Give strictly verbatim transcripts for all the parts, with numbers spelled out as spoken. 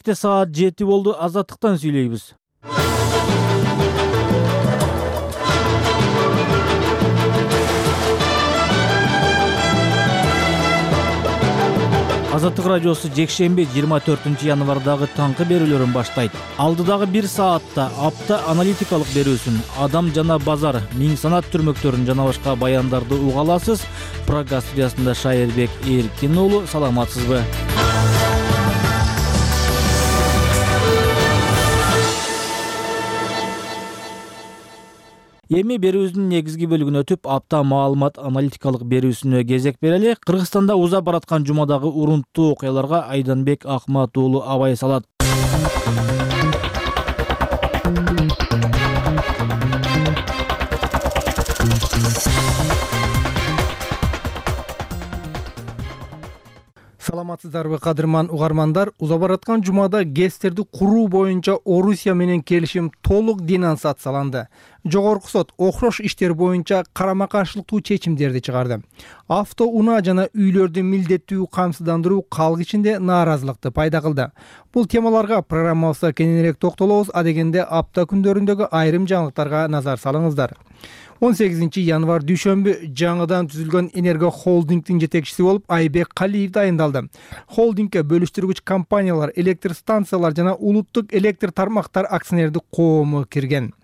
Кете саат жети болду. Азаттыктан сүйлөйбүз. Азаттык радиосу жекшемби жыйырма төртүнчү январдагы таңкы берүүлөрүн баштайт. Алдыдагы бир саатта апта аналитикалык берүүсүн, адам жана базар, миң санат түрмөктөрүн жана башка баяндарды уга аласыз. Программа студиясында Шайырбек Эркин уулу, саламатсызбы? Эми берүүбүздүн негизги бөлүгүнө өтүп, апта маалымат аналитикалык берүүсүнө кезек берели. Кыргызстанда уза бараткан жумадагы урунттуу окуяларга Айданбек Акмат уулу абай салат. Саламатсыздарбы, кадырман угармандар? Уза бараткан жумада ГЭСтерди куруу боюнча Орусия менен келишим толук денонсацияланды. Жогорку сот окшош иштер боюнча карама каршылыктуу чечимдерди чыгарды. Авто унаа жана үйлөрдү милдеттүү камсыздандыруу калк ичинде нааразылыкты пайда кылды. Бул темаларга программабызда кененирээк токтолобуз. Адегенде апта күндөрүндөгү айрым жаңылыктарга назар салыңыздар. он сегизинчи январ дүйшөмбү жаңыдан түзүлгөн Энерго холдингдин жетекчиси болуп Айбек Калиев дайындалды. Холдингге бөлүштүргүч компаниялар, электр станциялар жана улуттук электр тармактар акционердик коому кирген.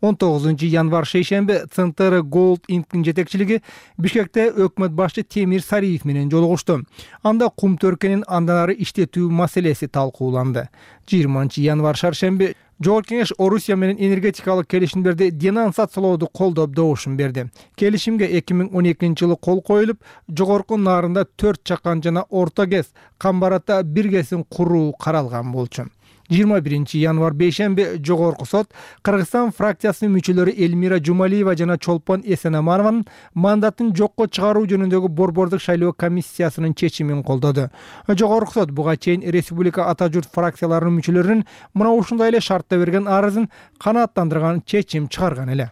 он тогузунчу январ шейшемби Центр Голд Инктин жетекчилиги Бишкекте өкмөт башчы Темир Сариев менен жолугушту. Анда кум төркөнүн андан ары иштетүү маселеси талкууланды. жыйырманчы январ шаршемби Жогорку Кеңеш Орусия менен энергетикалык келишимдерди денонсациялооду колдоп добушун берди. Келишимге эки миң он экинчи жылы кол коюлуп, жогорку нарында төрт чакан жана орто ГЭС, Камбаратта бир ГЭСин куруу каралган болчу. жыйырма биринчи январ бейшемби Жогорку сот Кыргызстан фракциясынын мүчөлөрү Элмира Жумалиева жана Чолпон Эсенаманованын мандатын жокко чыгаруу жөнүндөгү борбордук шайлоо комиссиясынын чечимин колдоду. Жогорку сот буга чейин республика ата журт фракцияларынын мүчөлөрүнүн мына ушундай эле шартта берген арызын канааттандырган чечим чыгарган эле.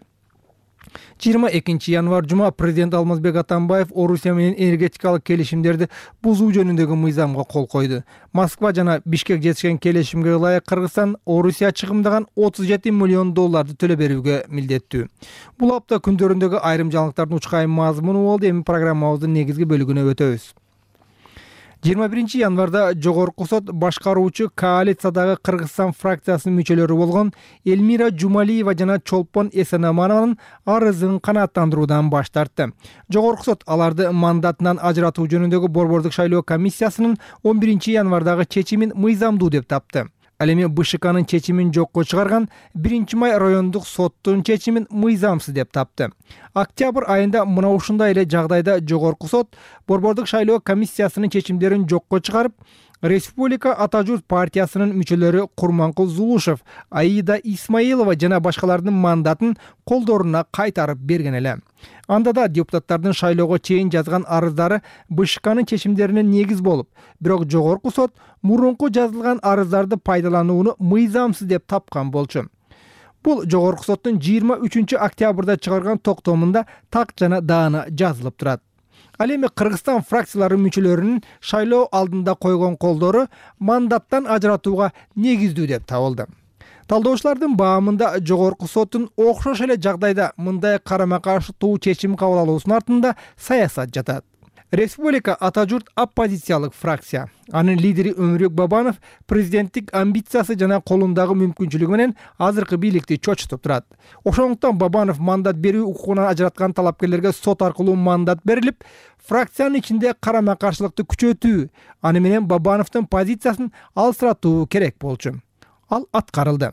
жыйырма экинчи январ жума президент Алмазбек Атамбаев Орусия менен энергетикалык келишимдерди бузуу жөнүндөгү мыйзамга кол койду. Москва жана Бишкек жетишкен келишимге ылайык Кыргызстан Орусия чыгымдаган отуз жети миллион долларды төлөп берүүгө милдеттүү. Бул апта күндөрүндөгү айрым жаңылыктардын учкайым мазмуну болду. Эми программабыздын негизги бөлүгүнө өтөбүз. жыйырма биринчи январда Жогорку сот башкаруучу коалициядагы Кыргызстан фракциясынын мүчөлөрү болгон Элмира Жумалиева жана Чолпон Эсенаманованын арызын канааттандыруудан баш тартты. Жогорку сот аларды мандатынан ажыратуу жөнүндөгү борбордук шайлоо комиссиясынын он биринчи январдагы чечимин мыйзамдуу деп тапты. Ал эми БШКнын чечимин жокко чыгарган биринчи май райондук соттун чечимин мыйзамсыз деп тапты. Октябрь айында мына ушундай эле жагдайда Жогорку сот борбордук шайлоо комиссиясынын чечимдерин жокко чыгарып, Республика ата журт партиясынын мүчөлөрү Курманкул Зулушев, Аида Исмаилова жана башкалардын мандатын колдоруна кайтарып берген эле. Анда да депутаттардын шайлоого чейин жазган арыздары БШКнын чечимдерине негиз болуп, бирок Жогорку сот мурунку жазылган арыздарды пайдаланууну мыйзамсыз деп тапкан болчу. Бул Жогорку соттун жыйырма үчүнчү октябрда чыгарган токтомунда так жана даана жазылып турат. Ал эми Кыргызстан фракцияларынын мүчөлөрүнүн шайлоо алдында койгон колдору мандаттан ажыратууга негиздүү деп табылды. Талдоочулардын баамында Жогорку соттун окшош эле жагдайда мындай карама каршылыктуу чечим кабыл алуусунун артында саясат жатат. Республика ата журт оппозициялык фракция. Анын лидери Өмүрбек Бабанов президенттик амбициясы жана колундагы мүмкүнчүлүгү менен азыркы бийликти чочутуп турат. Ошондуктан Бабанов мандат берүү укугунан ажыраткан талапкерлерге сот аркылуу мандат берилип, фракциянын ичинде карама каршылыкты күчөтүү, аны менен Бабановдун позициясын алсыратуу керек болчу. Ал аткарылды.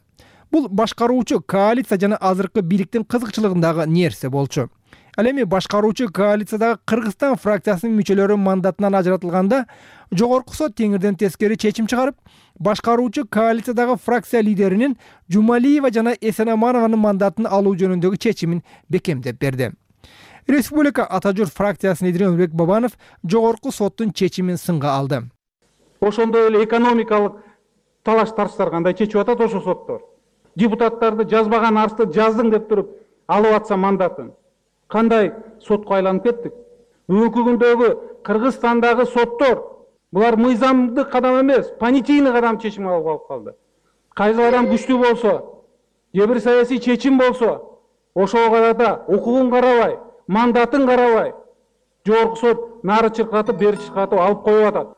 Бул башкаруучу коалиция жана азыркы бийликтин кызыкчылыгындагы нерсе болчу. Ал эми башкаруучу коалициядагы Кыргызстан фракциясынын мүчөлөрү мандатынан ажыратылганда, Жогорку сот теңирден тескери чечим чыгарып, башкаруучу коалициядагы фракция лидеринин Жумалиева жана Эсенаманованын мандатын алуу жөнүндөгү чечимин бекемдеп берди. Республика ата журт фракциясынын лидери Өмүрбек Бабанов Жогорку соттун чечимин сынга алды. Ошондой эле экономикалык талаш тарыштар кандай чечип атат ошо соттор. Депутаттарды жазбаган арызды жаздың деп туруп алып атса мандатын. Кандай сотко айланып кеттик? Бүгүнкү күндөгү Кыргызстандагы соттор Булар мыйзамдык кадам эмес, понятийный кадам чечим алып алып калды. Кайсы адам күчтүү болсо, же бир саясий чечим болсо, ошого карата укугун карабай, мандатын карабай, жогорку сот нары чыркатып, бери чыркатып алып коюп атат.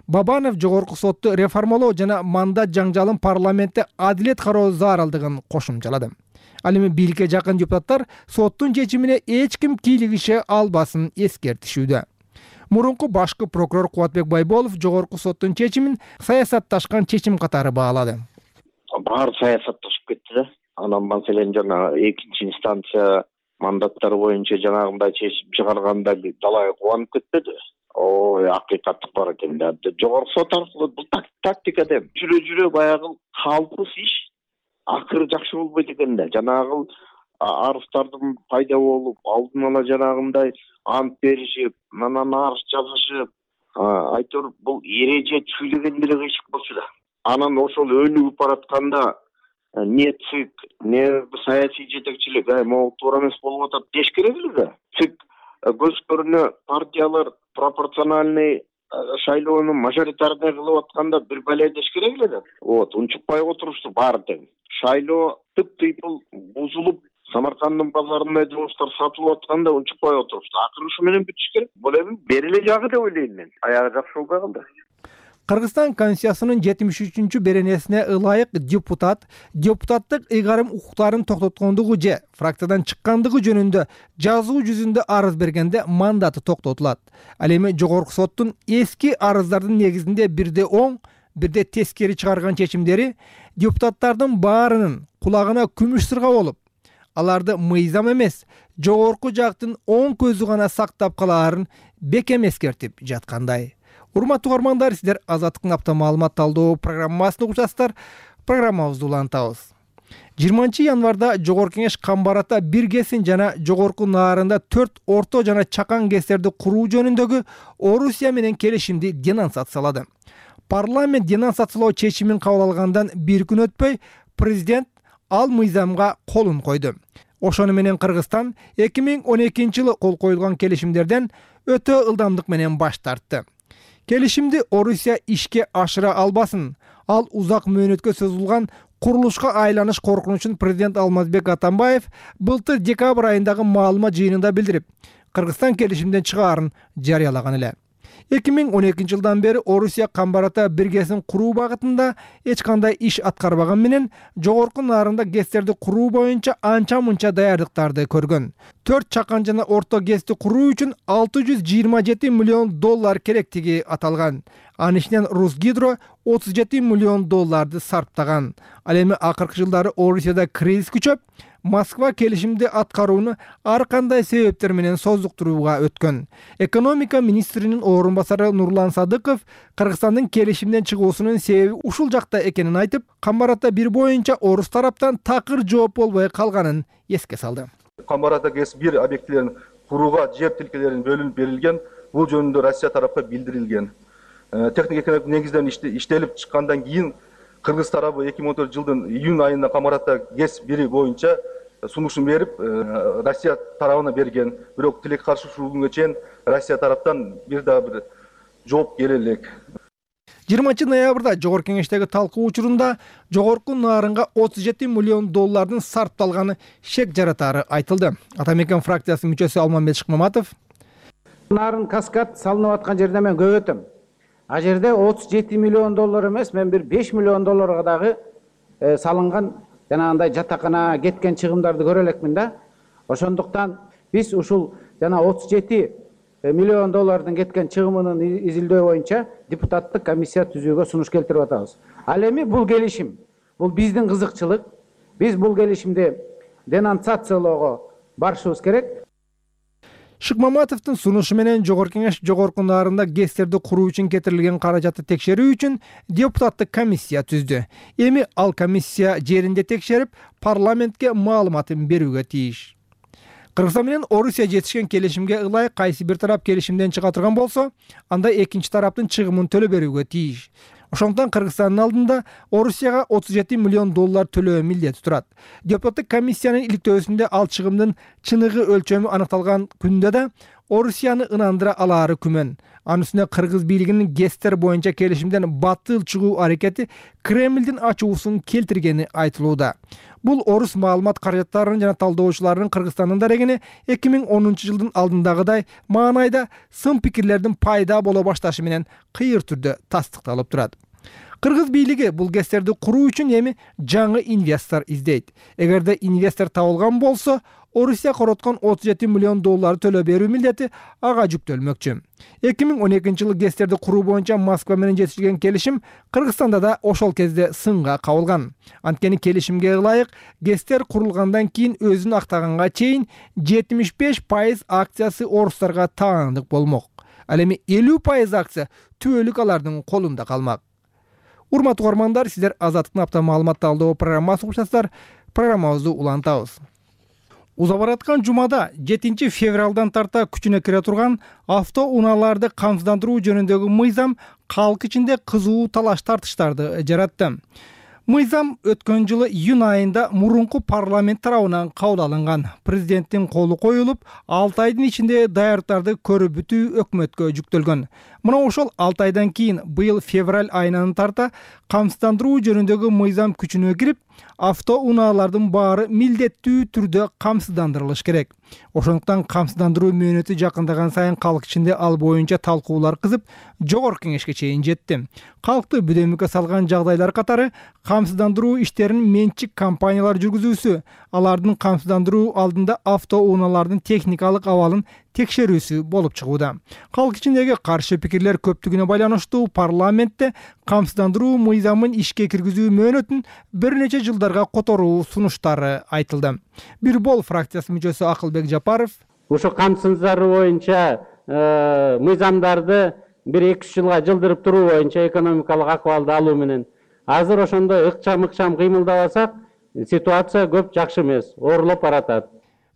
Бабанов жогорку сотту реформалоо жана мандат жаңжалын парламентте адилет кароо зарылдыгын кошумчалады. Ал эми бийликке жакын депутаттар соттун чечимине эч ким кийлигише албасын эскертишүүдө. Мурунку башкы прокурор Кубатбек Байболов жогорку соттун чечимин саясатташкан чечим катары баалады. Баары саясатташып кетти да. Анан маселен жана экинчи инстанция мандаттар боюнча жанагындай чечим чыгарганда далай кубанып кетпеди. Ой, акыйкаттык бар экен да. Жогорку сот аркылуу бул тактика деп. Жүрө жүрө баягы калпыз иш акыры жакшы болбойт экен да. Жанагы арыздардын пайда болуп, алдын ала жанагындай ант беришип, анан арыз жазышып, айтор бул эреже түзүлгөн деле кыйшык болчу да. Анан ошол өнүгүп баратканда не ЦИК, не саясий жетекчилик, ай могу туура эмес болуп атат деш керек эле да. ЦИК көз көрүнө партиялар пропорциональный шайлоону мажоритарный кылып атканда бир бале деш керек эле да. Вот, унчукпай отурушту баары тең. Шайлоо тып-тыйпыл бузулуп, Самаркандын базарында жумуштар сатылып атканда унчукпай отурушту. Акыры ушу менен бүтүш керек. Бул эми бериле жагы деп ойлойм мен. Аягы жакшы болбой калды. Кыргызстан Конституциясынын жетимиш үчүнчү беренесине ылайык депутат депутаттык ыйгарым укуктарын токтоткондугу же фракциядан чыккандыгы жөнүндө жазуу жүзүндө арыз бергенде мандаты токтотулат. Ал эми жогорку соттун эски арыздардын негизинде бирде оң, бирде тескери чыгарган чечимдери депутаттардын баарынын кулагына күмүш сырга болуп, аларды мыйзам эмес, жогорку жактын оң көзү гана сактап калаарын бекем эскертип жаткандай. Урматтуу угармандар, сиздер Азаттыктын апта маалымат талдоо программасын угучасыздар. Программабызды улантабыз. жыйырманчы январда Жогорку Кеңеш Камбарата бир гесин жана жогорку наарында төрт орто жана чакан гестерди куруу жөнүндөгү Орусия менен келишимди денонсациялады. Парламент денонсациялоо чечимин кабыл алгандан бир күн өтпөй, президент ал мыйзамга колун койду. Ошону менен Кыргызстан эки миң он экинчи жылы кол коюлган келишимдерден өтө ылдамдык менен баш тартты. Келишимди Орусия ишке ашыра албасын. Ал узак мөөнөткө созулган курулушка айланыш коркунучун президент Алмазбек Атамбаев былтыр декабрь айындагы маалымат жыйынында билдирип, Кыргызстан келишимден чыгаарын жарыялаган эле. эки миң он экинчи жылдан бери Орусия Камбарата биргесин куруу багытында эч кандай иш аткарбаган менен жогорку наарында гестерди куруу боюнча анча-мунча даярдыктарды көргөн. төрт чакан жана орто гести куруу үчүн алты жүз жыйырма жети миллион доллар керектиги аталган. Анын ичинен Русгидро отуз жети миллион долларды сарптаган. Ал эми акыркы жылдары Орусияда кризис күчөп, Москва келишимди аткарууну ар кандай себептер менен создуктурууга өткөн. Экономика министринин орун басары Нурлан Садыков Кыргызстандын келишимден чыгуусунун себеби ушул жакта экенин айтып, Камбарата бир боюнча орус тараптан такыр жооп болбой калганын эске салды. Камбарата ГЭС бир объектилерин курууга жер тилкелерин бөлүнүп берилген. Бул жөнүндө Россия тарапка билдирилген. Техник экономик негизден иштелип чыккандан кийин Кыргыз тарабы эки миң он төртүнчү жылдын июнь айында Камбарата ГЭС бири боюнча сунушун берип, Россия тарабына берген. Бирок тилек каршы ушул күнгө чейин Россия тараптан бир да бир жооп келе элек. жыйырманчы ноябрда Жогорку Кеңештеги талкуу учурунда жогорку наарынга отуз жети миллион доллардын сарпталганы шек жаратары айтылды. Атамекен фракциясынын мүчөсү Алмамбет Шыкмаматов: Нарын каскад салынып аткан жерде мен көп өтөм. А жерде отуз жети миллион доллар эмес, мен бир беш миллион долларга дагы салынган жанагындай жатакана кеткен чыгымдарды көрө элекмин да. Ошондуктан биз ушул жана отуз жети миллион доллардын кеткен чыгымынын изилдөө боюнча депутаттык комиссия түзүүгө сунуш келтирип атабыз. Ал эми бул келишим, бул биздин кызыкчылык. Биз бул келишимди денонсациялоого барышыбыз керек. Шыкмаматовдун сунушу менен Жогорку Кеңеш жогорку наарында гестерди куруу үчүн кетирилген каражатты текшерүү үчүн депутаттык комиссия түздү. Эми ал комиссия жеринде текшерип, парламентке маалыматын берүүгө тийиш. Кыргызстан менен Орусия жетишкен келишимге ылайык кайсы бир тарап келишимден чыга турган болсо, анда экинчи тараптын чыгымын төлөп берүүгө тийиш. Ошондуктан Кыргызстандын алдында Орусияга отуз жети миллион доллар төлөө милдети турат. Депутаттык комиссиянын иликтөөсүндө ал чыгымдын чыныгы өлчөмү аныкталган күндө да Орусияны ынандыра алаары күмөн. Анын үстүнө кыргыз бийлигинин ГЭСтер боюнча келишимден батыл чыгуу аракети Кремлдин ачуусун келтиргени айтылууда. Бул орус маалымат каражаттарынын жана талдоочуларынын Кыргызстандын дарегине эки миң онунчу жылдын алдындагыдай маанайда сын пикирлердин пайда боло башташы менен кыйыр түрдө тастыкталып турат. Кыргыз бийлиги бул ГЭСтерди куруу үчүн эми жаңы инвестор издейт. Эгерде инвестор табылган болсо, Орусия короткон отуз жети миллион доллар төлөө берүү милдети ага жүктөлмөкчү. эки миң он экинчи жылы ГЭСтерди куруу боюнча Москва менен жетишилген келишим Кыргызстанда да ошол кезде сынга кабылган. Анткени келишимге ылайык ГЭСтер курулгандан кийин өзүн актаганга чейин жетимиш беш пайыз акциясы орустарга таандык болмок. Ал эми элүү пайыз акция түбөлүк алардын колунда калмак. Урматтуу угармандар, сиздер Азаттыктын апта маалымат талдоо программасын угушасыздар. Программабызды улантабыз. Уза бараткан жумада жетинчи февралдан тарта күчүнө кире турган автоунааларды камсыздандыруу жөнүндөгү мыйзам калк ичинде кызуу талаш тартыштарды жаратты. Мыйзам өткөн жылы июнь айында мурунку парламент тарабынан кабыл алынган. Президенттин колу коюлуп, алты айдын ичинде даярдыктарды көрүп бүтүү өкмөткө жүктөлгөн. Мына ошол алты айдан кийин быйыл февраль айынан тарта камсыздандыруу жөнүндөгү мыйзам күчүнө кирип, автоунаалардын баары милдеттүү түрдө камсыздандырылыш керек. Ошондуктан камсыздандыруу мөөнөтү жакындаган сайын калк ичинде ал боюнча талкуулар кызып, жогорку кеңешке чейин жетти. Калкты бүдөмүккө салган жагдайлар катары камсыздандыруу иштерин менчик компаниялар жүргүзүүсү, алардын камсыздандыруу алдында автоунаалардын техникалык абалын текшерүүсү болуп чыгууда. Калк ичиндеги каршы пикирлер көптүгүнө байланыштуу парламентте камсыздандыруу мыйзамын ишке киргизүү мөөнөтүн бир нече жылдарга которуу сунуштары айтылды. Бир бол фракциясы мүчөсү Акылбек Жапаров ошо камсыздандыруу боюнча мыйзамдарды бир эки үч жылга жылдырып туруу боюнча экономикалык акыбалды алуу менен азыр ошондой ыкчам-ыкчам кыймылдабасак, ситуация көп жакшы эмес, оорулуп баратат.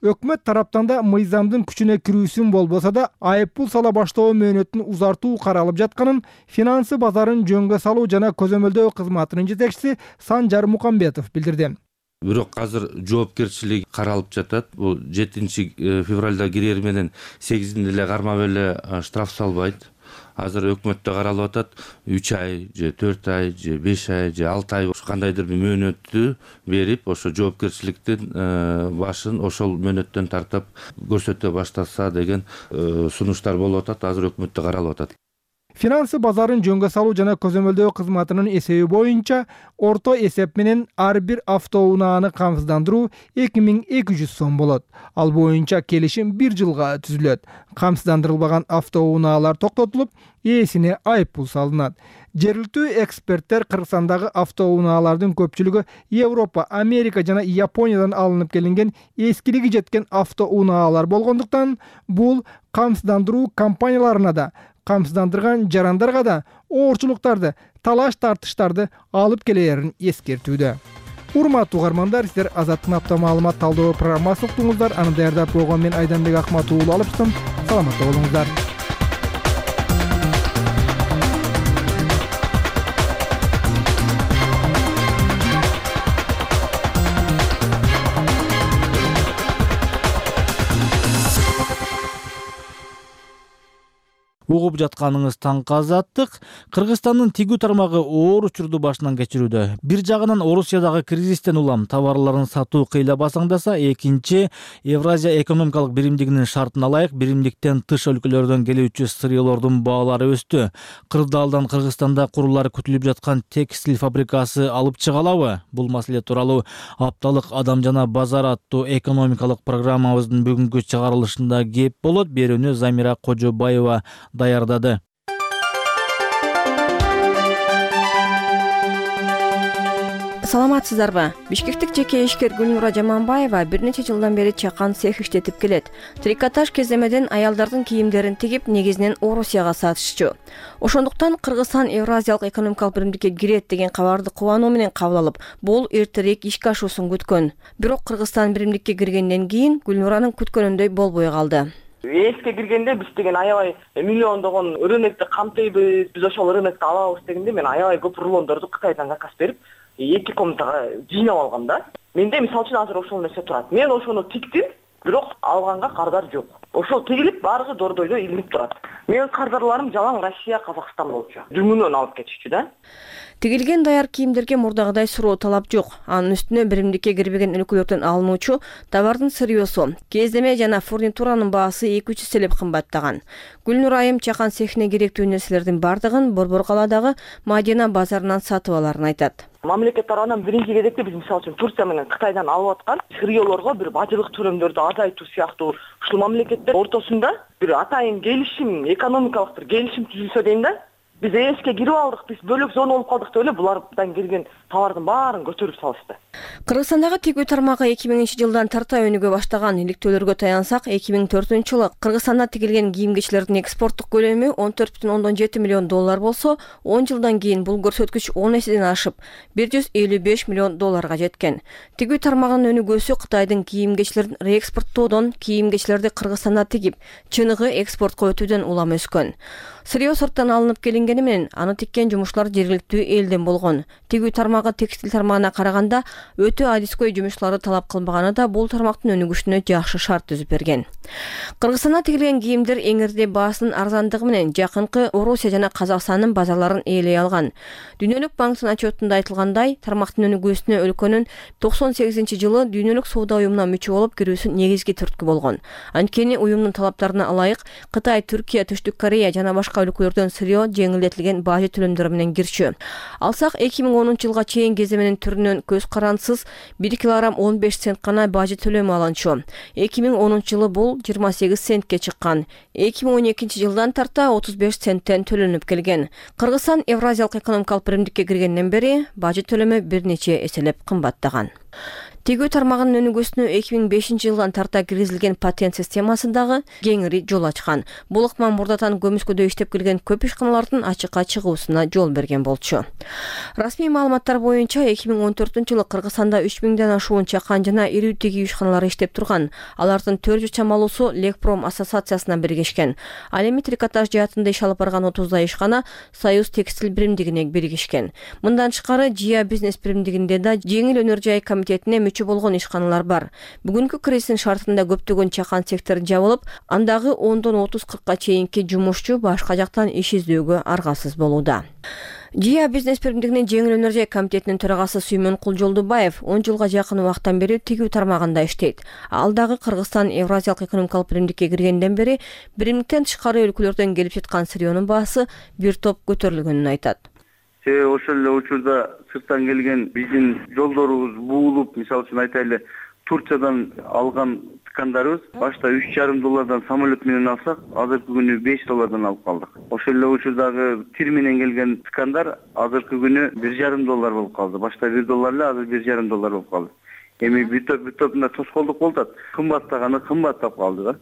Өкмөт тараптан да мыйзамдын күчүнө кирүүсүн болбосо да айыппул сала баштоо мөөнөтүн узартуу каралып жатканын финансы базарын жөнгө салуу жана көзөмөлдөө кызматынын жетекчиси Санжар Мукамбетов билдирди. Бирок азыр жоопкерчилик каралып жатат. Бул жетинчи февралда кирери менен сегизинде эле кармап эле штраф салбайт. Азыр өкмөттө каралып атат үч ай же төрт ай же беш ай же алты ай кандайдыр бир мөөнөттү берип, ошо жоопкерчиликтин башын ошол мөөнөттөн тартып көрсөтө баштаса деген сунуштар болуп атат. Азыр өкмөттө каралып атат. Финансы базарын жөнгө салуу жана көзөмөлдөө кызматынын эсеби боюнча орто эсеп менен ар бир автоунааны камсыздандыруу эки миң эки жүз сом болот. Ал боюнча келишим бир жылга түзүлөт. Камсыздандырылбаган автоунаалар токтотулуп, ээсине айыппул салынат. Жергиликтүү эксперттер Кыргызстандагы автоунаалардын көпчүлүгү Европа, Америка жана Япониядан алынып келинген эскилиги жеткен автоунаалар болгондуктан бул камсыздандыруу компанияларына да, камсыздандырган жарандарга да оорчулуктарды, талаш тартыштарды алып келерин эскертүүдө. Урматтуу угармандар, сиздер Азаттыктын апта маалымат талдоо программасын уктуңуздар. Аны даярдап койгон мен Айданбек Акмат уулу алыптым. Саламатта болуңуздар. Угуп жатканыңыз таңкы Азаттык. Кыргызстандын тигүү тармагы оор учурду башынан кечирүүдө. Бир жагынан Орусиядагы кризистен улам товарларын сатуу кыйла басаңдаса, экинчи Евразия экономикалык биримдигинин шартына ылайык биримдиктен тыш өлкөлөрдөн келүүчү сырьелордун баалары өстү. Кырдаалдан Кыргызстанда курулары күтүлүп жаткан текстиль фабрикасы алып чыга алабы? Бул маселе тууралуу апталык Адам жана базар аттуу экономикалык программабыздын бүгүнкү чыгарылышында кеп болот. Берүүнү Замира Кожобаева даярдады. Саламатсыздарбы? Бишкектик жеке ишкер Гүлнура Жаманбаева бир нече жылдан бери чакан цех иштетип келет. Трикотаж кеземеден аялдардын кийимдерин тигип, негизинен Орусияга сатышчу. Ошондуктан Кыргызстан Евразиялык экономикалык биримдикке кирет деген кабарды кубануу менен кабыл алып, бул эртерээк ишке ашуусун күткөн. Бирок Кыргызстан биримдикке киргенден кийин Гүлнуранын күткөнүндөй болбой калды. Эске киргенде биз деген аябай миллиондогон рынокты камтыйбыз, биз ошол рынокты алабыз дегенде мен аябай көп рулондорду Кытайдан заказ берип, эки комнатага жыйнап алгам да. Менде мисалы үчүн азыр ошол нерсе турат. Мен ошону тиктим, бирок алганга кардар жок. ошол тигилип баарыгы дордойдо илинип турат. Менин кардарларым жалаң Россия, Казакстан болчу. Дүңүнөн алып кетишчү да. Тигилген даяр кийимдерге мурдагыдай суроо талап жок. Анын үстүнө биримдикке кирбеген өлкөлөрдөн алынуучу товардын сырьёсу, кездеме жана фурнитуранын баасы эки үч эселеп кымбаттаган. Гүлнур айым чакан цехине керектүү нерселердин бардыгын Борбор калаадагы Мадина базарынан сатып аларын айтат. Мамлекет тарабынан биринчи кезекте биз мисалы үчүн Турция менен Кытайдан алып аткан сырьёлорго бир бажылык төлөмдөрдү азайтуу сыяктуу ушул мамлекеттер ортосунда бир атайын келишим, экономикалык бир келишим түзүлсө дейм да. Биз эске кирип алдык, биз бөлөк зона болуп калдык деп эле булардан келген товардын баарын көтөрүп салышты. Кыргызстандагы тигүү тармагы эки миңинчи жылдан тарта өнүгө баштаган. Иликтөөлөргө таянсак, эки миң төртүнчү жылы Кыргызстанда тигилген кийим-кечилердин экспорттук көлөмү он төрт бүтүн ондон жети миллион доллар болсо, он жылдан кийин бул көрсөткүч он эседен ашып, бир жүз элүү беш миллион долларга жеткен. Тигүү тармагынын өнүгүүсү Кытайдын кийим-кечилерин реэкспорттоодон кийим-кечилерди Кыргызстанда тигип, чыныгы экспортко өтүүдөн улам өскөн. Сырьё сырттан алынып келингени менен аны тиккен жумушчулар жергиликтүү элден болгон. Тигүү тармагы текстиль тармагына караганда өтө адискөй жумушчуларды талап кылбаганы да бул тармактын өнүгүшүнө жакшы шарт түзүп берген. Кыргызстанда тигилген кийимдер эңирде баасынын арзандыгы менен жакынкы Орусия жана Казакстандын базарларын ээлей алган. Дүйнөлүк банктын отчетунда айтылгандай, тармактын өнүгүүсүнө өлкөнүн токсон сегизинчи жылы Дүйнөлүк соода уюмуна мүчө болуп кирүүсү негизги түрткү болгон. Анткени уюмдун талаптарына ылайык Кытай, Түркия, Түштүк Корея жана башка өлкөлөрдөн сырьё жеңилдетилген бажы төлөмдөр менен кирчү. Алсак эки миң онунчу жылга чейин кеземенин түрүнөн көз карансыз бир килограмм он беш цент гана бажы төлөмү алынчу. эки миң онунчу жылы бул жыйырма сегиз центке чыккан. эки миң он экинчи жылдан тарта отуз беш центтен төлөнүп келген. Кыргызстан Евразиялык экономикалык биримдикке киргенден бери бажы төлөмү бир нече эселеп кымбаттаган. Тигүү тармагынын өнүгүүсүнө эки миң бешинчи жылдан тарта киргизилген патент системасындагы кеңири жол ачкан. Бул ыкма мурдатан көмүскөдө иштеп келген көп ишканалардын ачыкка чыгуусуна жол берген болчу. Расмий маалыматтар боюнча эки миң он төртүнчү жылы Кыргызстанда үч миңден ашуун чакан жана ирүү тигүү ишканалары иштеп турган. Алардын төрт жүз чамалуусу Лекпром ассоциациясына биригишкен. Ал эми трикотаж жаатында иш алып барган отуздай ишкана Союз текстиль биримдигине биригишкен. Мындан тышкары Жия бизнес биримдигинде да жеңил өнөр жай комитетине болгон ишканалар бар. Бүгүнкү кризистин шартында көптөгөн чакан сектору жабылып, андагы ондон отуз кыркка чейинки жумушчу башка жактан иш издөөгө аргасыз болууда. Жия бизнес биримдигинин жеңил өнөр жай комитетинин төрагасы Сүймөнкул Жолдубаев он жылга жакын убакыттан бери тигүү тармагында иштейт. Ал дагы Кыргызстан Евразиялык экономикалык биримдикке киргенден бери биримдиктен тышкары өлкөлөрдөн келип жаткан сырьёнун баасы бир топ көтөрүлгөнүн айтат. Себеби ошол эле учурда сырттан келген биздин жолдорубуз буулуп, мисалы үчүн айтайлы, Турциядан алган ткандарыбыз башта үч жарым доллардан самолет менен алсак, азыркы күнү беш доллардан алып калдык. Ошол эле учурдагы тир менен келген ткандар азыркы күнү бир жарым доллар болуп калды. Башта бир доллар эле, азыр бир жарым доллар болуп калды. Эми бир топ бир топунда тоскоолдук болуп атат. Кымбаттаганы кымбаттап калды да.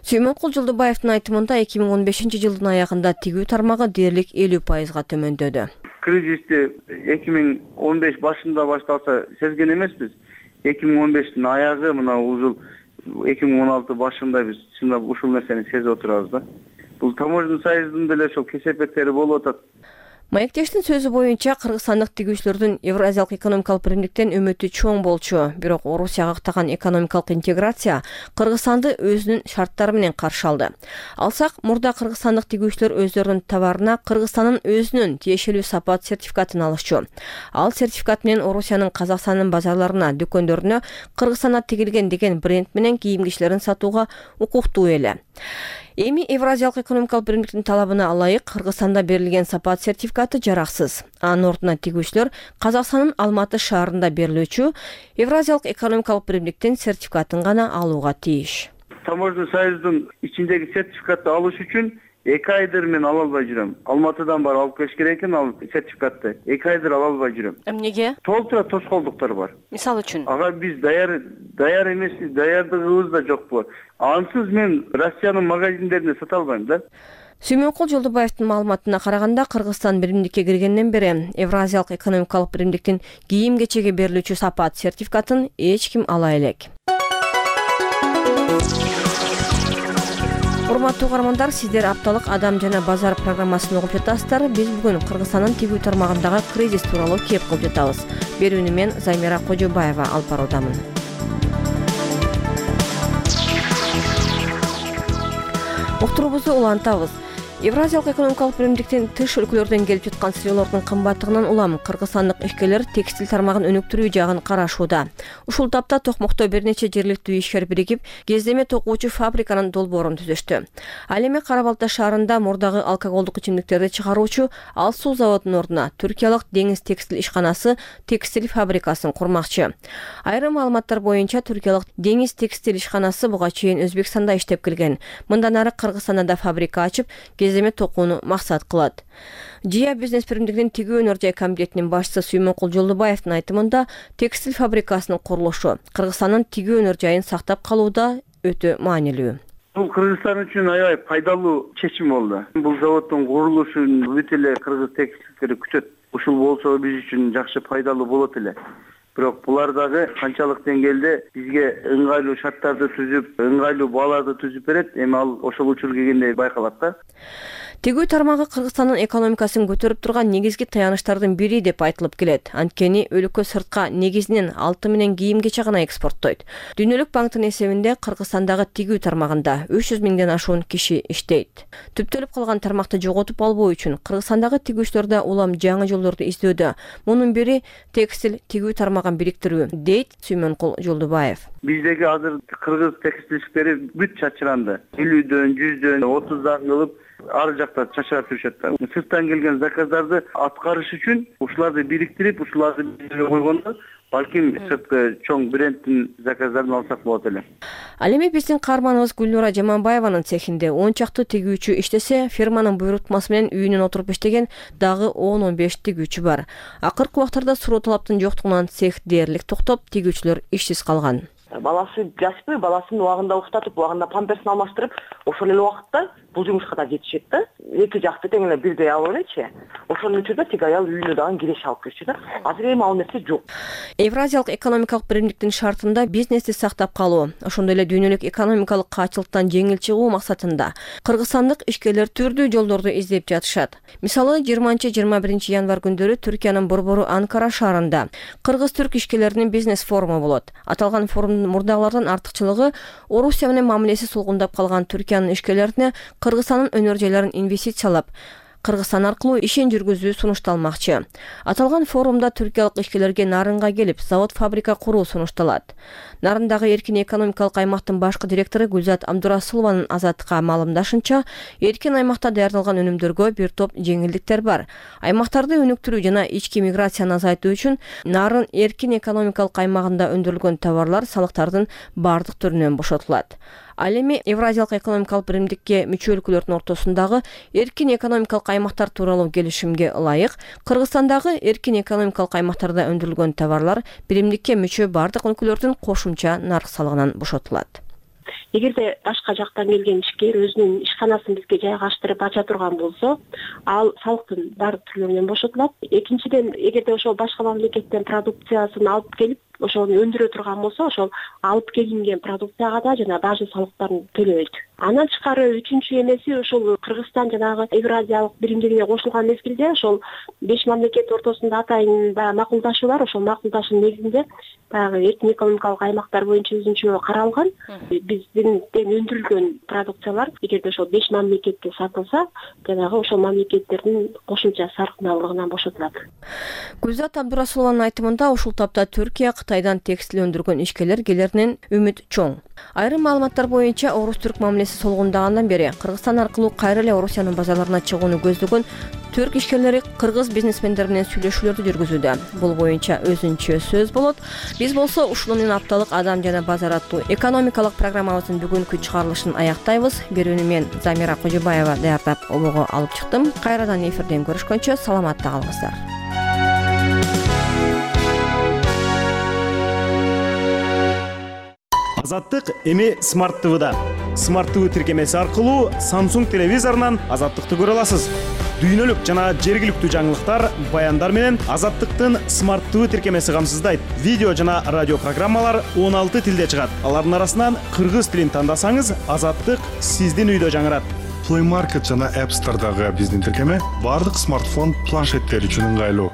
Сүймөнкул Жолдубаевдин айтымында эки миң он бешинчи жылдын аягында тигүү тармагы дээрлик элүү пайызга төмөндөдү. Кризисти эки миң он беш башында башталса сезген эмеспиз. эки миң он бештин аягы мына ушул эки миң он алты башында биз чындап ушул нерсени сезип отурабыз да. Бул таможенный союздун деле ошол кесепеттери болуп атат. Маектештин сөзү боюнча кыргызстандык тигүүчүлөрдүн Евразиялык экономикалык биримдиктен үмүтү чоң болчу. Бирок Орусияга каттаган экономикалык интеграция Кыргызстанды өзүнүн шарттары менен каршы алды. Алсак, мурда кыргызстандык тигүүчүлөр өздөрүнүн товарына Кыргызстандын өзүнүн тиешелүү сапат сертификатын алышчу. Ал сертификат менен Орусиянын Казакстандын базарларына, дүкөндөрүнө Кыргызстанда тигилген деген бренд менен кийим-кечилерин сатууга укуктуу эле. Эми Евразиялык экономикалык биримдиктин талабына ылайык Кыргызстанда берилген сапат сертификаты жараксыз. Анын ордуна тигүүчүлөр Казакстандын Алматы шаарында берилүүчү Евразиялык экономикалык биримдиктин сертификатын гана алууга тийиш. Таможенный союздун ичиндеги сертификатты алыш үчүн эки айдыр мен ала албай жүрөм. Алматыдан барып алып келиш керек экен ал сертификатты. эки айдыр ала албай жүрөм. Эмнеге? Толтура тоскоолдуктар бар. Мисалы үчүн? Ага биз даяр даяр эмеспиз, даярдыгыбыз да жокпу. Ансыз мен Россиянын магазиндерине сата албайм да. Сүймөнкул Жолдубаевдин маалыматына караганда Кыргызстан биримдикке киргенден бери Евразиялык экономикалык биримдиктин кийим-кечеге берилүүчү сапат сертификатын эч ким ала элек. Урматтуу угармандар, сиздер апталык Адам жана базар программасын угуп жатасыздар. Биз бүгүн Кыргызстандын тигүү тармагындагы кризис тууралуу кеп кылып жатабыз. Берүүнү мен Займира Кожобаева алып баруудамын. уктуруубузду улантабыз. Евразиялык экономикалык биримдиктин тыш өлкөлөрдөн келип жаткан сыйроолордун кымбаттыгынан улам кыргызстандык ишкерлер текстиль тармагын өнүктүрүү жагын карашууда. Ушул тапта Токмокто бир нече жергиликтүү ишкер биригип, кездеме токуучу фабриканын долбоорун түзүштү. Ал эми Кара Балта шаарында мурдагы алкоголдук ичимдиктерди чыгаруучу Ал суу заводунун ордуна түркиялык Деңиз текстиль ишканасы текстиль фабрикасын курмакчы. Айрым маалыматтар боюнча түркиялык Деңиз текстиль ишканасы буга чейин Өзбекстанда иштеп келген. Мындан ары Кыргызстанда да фабрика ачып, кездеме токууну максат кылат. Жия бизнес биримдигинин тигүү өнөр жай комитетинин башчысы Сүймөнкул Жолдубаевдин айтымында, текстиль фабрикасынын курулушу Кыргызстандын тигүү өнөр жайын сактап калууда өтө маанилүү. Бул Кыргызстан үчүн аябай пайдалуу чечим болду. Бул заводдун курулушун бүт эле кыргыз текстилдери күтөт. Ушул болсо биз үчүн жакшы пайдалуу болот эле. Бирок булар дагы канчалык деңгээлде бизге ыңгайлуу шарттарды түзүп, ыңгайлуу бааларды түзүп берет, эми ал ошол учур келгенде байкалат да. Тигүү тармагы Кыргызстандын экономикасын көтөрүп турган негизги таяныштардын бири деп айтылып келет. Анткени өлкө сыртка негизинен алты менен кийимгече гана экспорттойт. Дүйнөлүк банктын эсебинде Кыргызстандагы тигүү тармагында үч жүз миңден ашуун киши иштейт. Түптөлүп калган тармакты жоготуп албоо үчүн Кыргызстандагы тигүүчүлөр да улам жаңы жолдорду издөөдө. Мунун бири текстиль тигүү тармагын бириктирүү, дейт Сүймөнкул Жолдубаев. Биздеги азыр кыргыз текстилчилери бүт чачыранды. элүүдөн, жүздөн, отуздан кылып ар жакта чачырап жүрүшөт да. Сырттан келген заказдарды аткарыш үчүн ушуларды бириктирип, ушуларды койгондо балким сырткы чоң брендтин заказдарын алсак болот эле. Ал эми биздин каарманыбыз Гүлнура Жаманбаеванын цехинде он чакты тигүүчү иштесе, фирманын буйрутмасы менен үйүнөн отуруп иштеген дагы он он беш тигүүчү бар. Акыркы убактарда суроо талаптын жоктугунан цех дээрлик токтоп, тигүүчүлөр ишсиз калган. Баласы жашпы, баласын убагында уктатып, убагында памперсин алмаштырып, ошол эле убакытта бул жумушка да жетишет да. Эки жакты тең эле бирдей алып элечи. Ошонун үчүн да тиги аял үйүнө дагы киреш алып кирчү да. Азыр эми ал нерсе жок. Евразиялык экономикалык биримдиктин шартында бизнести сактап калуу, ошондой эле дүйнөлүк экономикалык каачылыктан жеңил чыгуу максатында кыргызстандык ишкерлер түрдүү жолдорду издеп жатышат. Мисалы, жыйырманчы жыйырма биринчи январь күндөрү Түркиянын борбору Анкара шаарында кыргыз-түрк ишкерлеринин бизнес форуму болот. Аталган форумдун мурдагылардан артыкчылыгы Орусия менен мамилеси сулгундап калган Түркиянын ишкерлерине Кыргызстандын өнөр жайларын инвестициялап, Кыргызстан аркылуу ишин жүргүзүү сунушталмакчы. Аталган форумда түркиялык ишкерлерге Нарынга келип, завод-фабрика куруу сунушталат. Нарындагы эркин экономикалык аймактын башкы директору Гүлзат Абдурасулованын Азаттыкка маалымдашынча, эркин аймакта даярдалган өнүмдөргө бир топ жеңилдиктер бар. Аймактарды өнүктүрүү жана ички миграцияны азайтуу үчүн Нарын эркин экономикалык аймагында өндүрүлгөн товарлар салыктардын бардык түрүнөн бошотулат. Ал эми Евразиялык экономикалык биримдикке мүчө өлкөлөрдүн ортосундагы эркин экономикалык аймактар тууралуу келишимге ылайык Кыргызстандагы эркин экономикалык аймактарда өндүрүлгөн товарлар биримдикке мүчө бардык өлкөлөрдүн кошумча нарк салыгынан бошотулат. Эгерде башка жактан келген ишкер өзүнүн ишканасын бизге жайгаштырып ача турган болсо, ал салыктын бардык түрлөрүнөн бошотулат. Экинчиден, эгерде ошол башка мамлекеттен продукциясын алып келип, ошону өндүрө турган болсо, ошол алып келинген продукцияга да жана бажы салыктарын төлөйт. Андан тышкары үчүнчү эмеси, ошол Кыргызстан жанагы Евразиялык биримдигине кошулган мезгилде ошол беш мамлекет ортосунда атайын баягы макулдашуу бар. Ошол макулдашуунун негизинде баягы эркин экономикалык аймактар боюнча өзүнчө каралган. Биздин өндүрүлгөн продукциялар эгерде ошол беш мамлекетте сатылса, жанагы ошол мамлекеттердин кошумча салыктарынан бошотулат. Гүлзат Абдурасулованын айтымында, ушул тапта Түркия Кытайдан текстиль өндүргөн ишкерлер келеринен үмүт чоң. Айрым маалыматтар боюнча Орус-түрк мамилеси солгундагандан бери Кыргызстан аркылуу кайра эле Орусиянын базарларына чыгууну көздөгөн түрк ишкерлери кыргыз бизнесмендер менен сүйлөшүүлөрдү жүргүзүүдө. Бул боюнча өзүнчө сөз болот. Биз болсо ушул менен апталык адам жана базар аттуу экономикалык программабыздын бүгүнкү чыгарылышын аяктайбыз. Берүүнү мен Замира Кожобаева даярдап обого алып чыктым. Кайрадан эфирден көрүшкөнчө саламатта калыңыздар. Азаттык эми Smart ти ви-да. Smart ти ви тиркемеси аркылуу Samsung телевизорунан Азаттыкты көрө аласыз. Дүйнөлүк жана жергиликтүү жаңылыктар, баяндар менен Азаттыктын Smart ти ви тиркемеси камсыздайт. Видео жана радио программалар он алты тилде чыгат. Алардын арасынан кыргыз тилин тандасаңыз, Азаттык сиздин үйдө жаңырат. Play Market жана App Store'дагы биздин тиркеме бардык смартфон, планшеттер үчүн ыңгайлуу.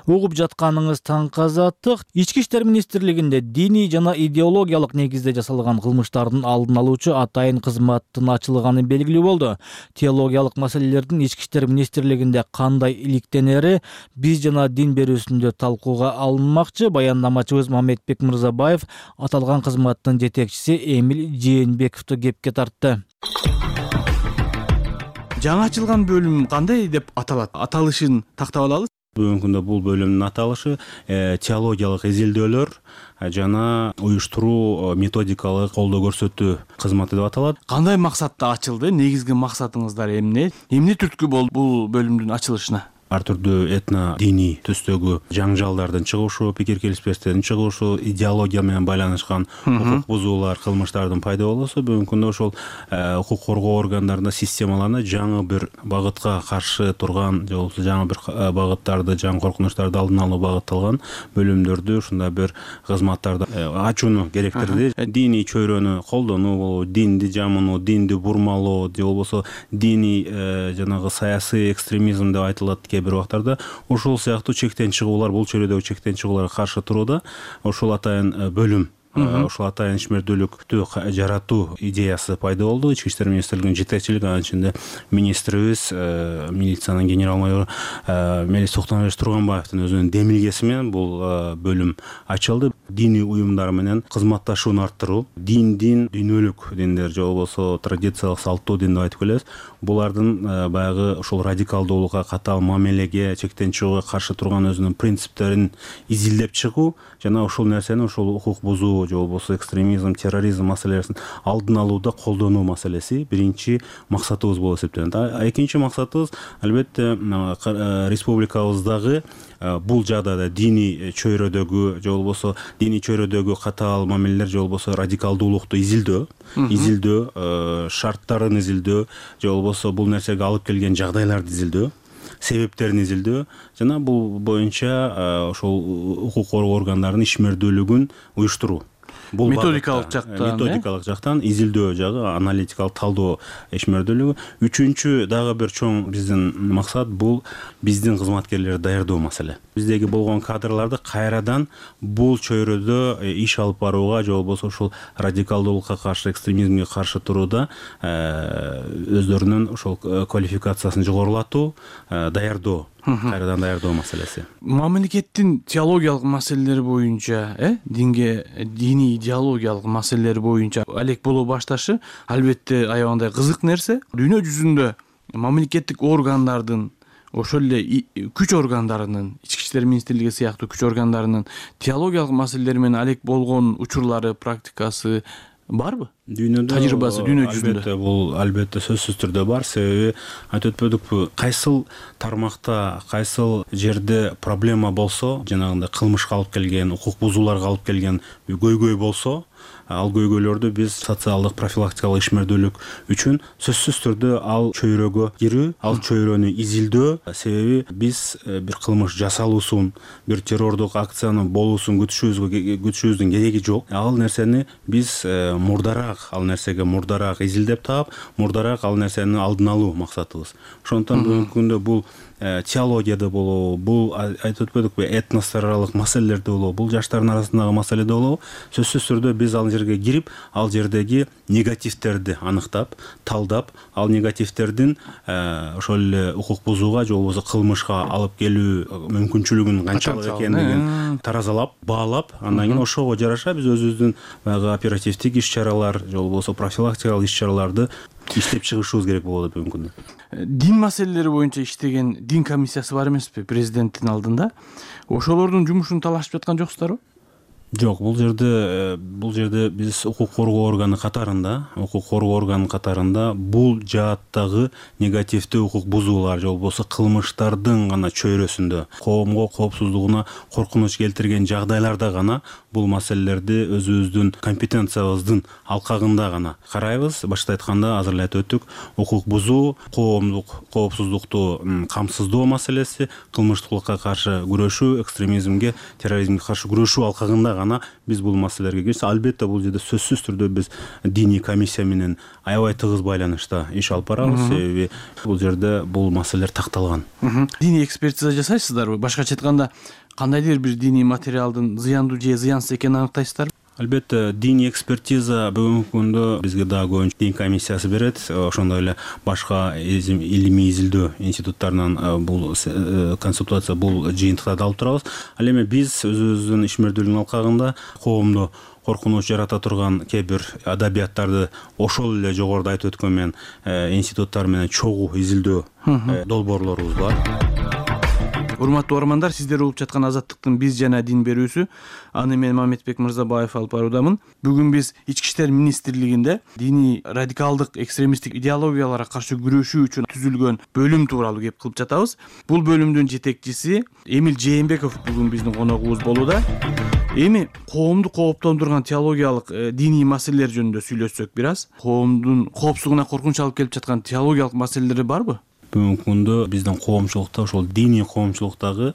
угуп жатканыңыз таң казаттык. Ички иштер министрлигинде диний жана идеологиялык негизде жасалган кылмыштардын алдын алуучу атайын кызматтын ачылганы белгилүү болду. Теологиялык маселелердин ички иштер министрлигинде кандай иликтенери биз жана дин берүүсүндө талкууга алынмакчы. Баяндамачыбыз Мамедбек Мырзабаев аталган кызматтын жетекчиси Эмил Жээнбековду кепке тартты. Жаңы ачылган бөлүм кандай деп аталат? Аталышын тактап алалы. Бүгүнкү күндө бул бөлүмдүн аталышы теологиялык изилдөөлөр жана уюштуруу методикалык колдоо көрсөтүү кызматы деп аталат. Кандай максатта ачылды? Негизги максатыңыздар эмне? Эмне түрткү болду бул бөлүмдүн ачылышына? Ар түрдүү этно диний түстөгү жаңжалдардын чыгышы, пикир келишпестиктердин чыгышы, идеология менен байланышкан укук бузуулар, кылмыштардын пайда болуусу бүгүнкү күндө ошол укук коргоо органдарында системаларына жаңы бир багытка каршы турган же болбосо жаңы бир багыттарды, жаңы коркунучтарды алдын алуу багытталган бөлүмдөрдү ушундай бир кызматтарды ачууну керектирди. Диний чөйрөнү колдонуу болобу, динди жамынуу, динди бурмалоо же болбосо диний жанагы саясий экстремизм деп айтылат бир убактарда ошол сыяктуу чектен чыгуулар, бул чөйрөдөгү чектен чыгууларга каршы турууда ошол атайын бөлүм, ошол атайын ишмердүүлүктү жаратуу идеясы пайда болду. Ички иштер министрлигинин жетекчилиги, анын ичинде министрибиз, милициянын генерал майору Мелис Токтомбаевич Турганбаевдин өзүнүн демилгеси менен бул бөлүм ачылды. Диний уюмдар менен кызматташууну арттыруу, диндин, дүйнөлүк диндер же болбосо традициялык салттуу дин деп айтып келебиз. Булардын баягы ошол радикалдуулукка, катаал мамилеге, чектен чыгууга каршы турган өзүнүн принциптерин изилдеп чыгуу жана ошол нерсени, ошол укук бузуу же болбосо экстремизм, терроризм маселесин алдын алууда колдонуу маселеси биринчи максатыбыз болуп эсептелет. Экинчи максатыбыз албетте республикабыздагы бул жагдайда диний чөйрөдөгү же болбосо диний чөйрөдөгү катаал мамилелер же болбосо радикалдуулукту изилдөө, изилдөө, шарттарын изилдөө же болбосо бул нерсеге алып келген жагдайларды изилдөө, себептерин изилдөө жана бул боюнча ошол укук коргоо органдарынын ишмердүүлүгүн уюштуруу. Бул методикалык жактан, методикалык жактан изилдөө жагы, аналитикалык талдоо ишмердүүлүгү. Үчүнчү дагы бир чоң биздин максат бул биздин кызматкерлерди даярдоо маселе. Биздеги болгон кадрларды кайрадан бул чөйрөдө иш алып барууга же болбосо ошол радикалдуулукка каршы, экстремизмге каршы турууда өздөрүнүн ошол квалификациясын жогорулатуу, даярдоо, кайрадан даярдоо маселеси. Мамлекеттин теологиялык маселелери боюнча, э, динге, диний идеологиялык маселелери боюнча алек боло башташы албетте аябагандай кызык нерсе. Дүйнө жүзүндө мамлекеттик органдардын, ошол эле күч органдарынын, ички иштер министрлиги сыяктуу күч органдарынын теологиялык маселелери менен алек болгон учурлары, практикасы барбы? Дүйнөдө тажрыйбасы дүйнө жүзүндө. Албетте бул албетте сөзсүз түрдө бар. Себеби айтып өтпөдүкпү, кайсыл тармакта, кайсыл жерде проблема болсо, жанагындай кылмышка алып келген, укук бузууларга алып келген көйгөй болсо, ал көйгөйлөрдү биз социалдык профилактикалык ишмердүүлүк үчүн сөзсүз түрдө ал чөйрөгө кирүү, ал чөйрөнү изилдөө. Себеби биз бир кылмыш жасалуусун, бир террордук акциянын болуусун күтүшүбүзгө күтүшүбүздүн кереги жок. Ал нерсени биз мурдараак, ал нерсеге мурдараак изилдеп таап, мурдараак ал нерсени алдын алуу максатыбыз. Ошондуктан бүгүнкү күндө бул теологияда болобу, бул айтып өтпөдүкпү, этностор аралык маселелерде болобу, бул жаштардын арасындагы маселеде болобу, сөзсүз түрдө биз ал жерге кирип, ал жердеги негативтерди аныктап, талдап, ал негативтердин ошол эле укук бузууга же болбосо кылмышка алып келүү мүмкүнчүлүгүн канчалык экендигин таразалап, баалап, андан кийин ошого жараша биз өзүбүздүн баягы оперативдик иш-чаралар же болбосо профилактикалык иш-чараларды иштеп чыгышыбыз керек болот бүгүнкү күндө. Дин маселелери боюнча иштеген дин комиссиясы бар эмеспи президенттин алдында? Ошолордун жумушун талашып жаткан жоксуздарбы? Жок, бул жерде бул жерде биз укук коргоо органы катарында, укук коргоо органы катарында бул жааттагы негативдүү укук бузуулар же болбосо кылмыштардын гана чөйрөсүндө, коомго коопсуздугуна коркунуч келтирген жагдайларда гана бул маселелерди өзүбүздүн компетенциябыздын алкагында гана карайбыз. Башта айтканда азыр эле айтып өттүк, укук бузуу, коомдук коопсуздукту камсыздоо маселеси, кылмыштуулукка каршы күрөшүү, экстремизмге, терроризмге каршы күрөшүү алкагында гана биз бул маселелерге кирсек, албетте бул жерде сөзсүз түрдө биз диний комиссия менен аябай тыгыз байланышта иш алып барабыз, себеби бул жерде бул маселелер такталган. Диний экспертиза жасайсыздарбы? Башкача айтканда, кандайдыр бир диний материалдын зыяндуу же зыянсыз экенин аныктайсыздарбы? Албетте, диний экспертиза бүгүнкү күндө бизге дагы көбүнчө дин комиссиясы берет. Ошондой эле башка илимий изилдөө институттарынан бул консультация, бул жыйынтыктарды алып турабыз. Ал эми биз өзүбүздүн ишмердүүлүктүн алкагында коомдо коркунуч жарата турган кээ бир адабияттарды ошол эле жогоруда айтып өткөн мен институттар менен чогуу изилдөө долбоорлорубуз бар. Урматтуу угармандар, сиздер угуп жаткан Азаттыктын биз жана дин берүүсү. Аны мен Мамедбек Мырзабаев алып баруудамын. Бүгүн биз Ички иштер министрлигинде диний радикалдык экстремисттик идеологияларга каршы күрөшүү үчүн түзүлгөн бөлүм тууралуу кеп кылып жатабыз. Бул бөлүмдүн жетекчиси Эмил Жээнбеков бүгүн биздин коногубуз болууда. Эми коомду кооптондурган теологиялык диний маселелер жөнүндө сүйлөшсөк бир аз. Коомдун коопсуздугуна коркунуч алып келип жаткан теологиялык маселелери барбы? Бүгүнкү күндө биздин коомчулукта, ошол диний коомчулуктагы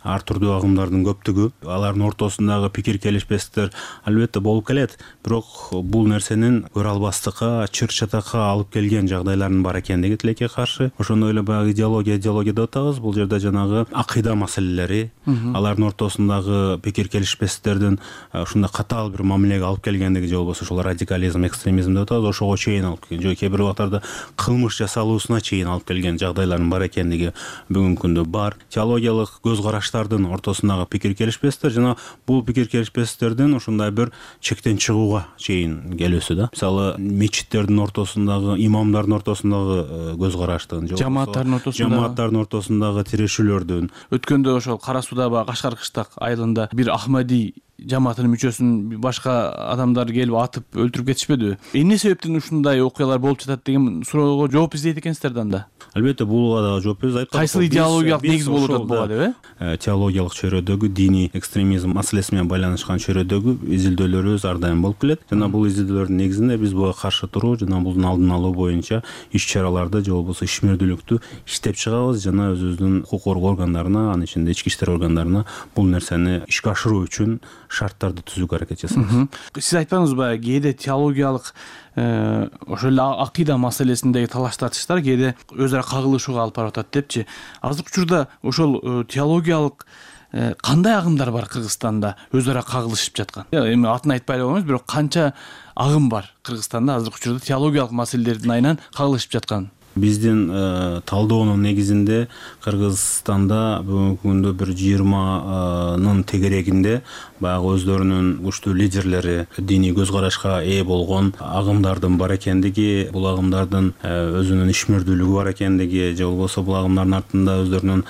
ар түрдүү агымдардын көптүгү, алардын ортосундагы пикир келишпестиктер албетте болуп келет, бирок бул нерсенин көрө албастыкка, чыр-чатакка алып келген жагдайлардын бар экендиги тилекке каршы. Ошондой эле баягы идеология, идеология деп атабыз. Бул жерде жанагы акыйда маселелери, алардын ортосундагы пикир келишпестиктердин ушундай катаал бир мамилеге алып келгендиги же болбосо ошол радикализм, экстремизм деп атабыз, ошого чейин алып келген, же кээ бир убактарда кылмыш жасалуусуна чейин алып келген жагдайлардын бар экендиги бүгүнкү күндө бар. Теологиялык көз караштардын ортосундагы пикир келишпестиктер жана бул пикир келишпестиктердин ушундай бир чектен чыгууга чейин келүүсү да. Мисалы, мечиттердин ортосундагы, имамдардын ортосундагы көз караштын, же жамааттардын ортосундагы жамааттардын ортосундагы тирешүүлөрдүн. Өткөндө ошол Кара Суда баягы Кашкар кыштак айылында бир Ахмади жамаатынын мүчөсүн башка адамдар келип атып өлтүрүп кетишпедиби? Эмне себептен ушундай окуялар болуп жатат деген суроого жооп издейт экенсиздер да анда. Албетте, буга дагы жооп берип айткан. Кайсыл идеологиялык негиз болуп атат буга деп, э? Теологиялык чөйрөдөгү диний экстремизм маселеси менен байланышкан чөйрөдөгү изилдөөлөрүбүз ар дайым болуп келет. Жана бул изилдөөлөрдүн негизинде биз буга каршы туруу жана булдун алдын алуу боюнча иш-чараларды же болбосо ишмердүүлүктү иштеп чыгабыз жана өзүбүздүн укук коргоо органдарына, анын ичинде ички иштер органдарына бул нерсени ишке ашыруу үчүн шарттарды түзүүгө аракет жасайбыз. Сиз айтпаңызбы, кээде теологиялык ошол эле акыйда маселесиндеги талаш тартыштар кээде өз ара кагылышууга алып барып атат депчи. Азыркы учурда ошол теологиялык кандай агымдар бар Кыргызстанда өз ара кагылышып жаткан? Эми атын айтпай эле коймоңуз, бирок канча агым бар Кыргызстанда азыркы учурда теологиялык маселелердин айынан кагылышып жаткан? Биздин талдоонун негизинде Кыргызстанда бүгүнкү күндө бир жыйырманын тегерегинде баягы өздөрүнүн күчтүү лидерлери, диний көз карашка ээ болгон агымдардын бар экендиги, бул агымдардын өзүнүн ишмердүүлүгү бар экендиги, же болбосо бул агымдардын артында өздөрүнүн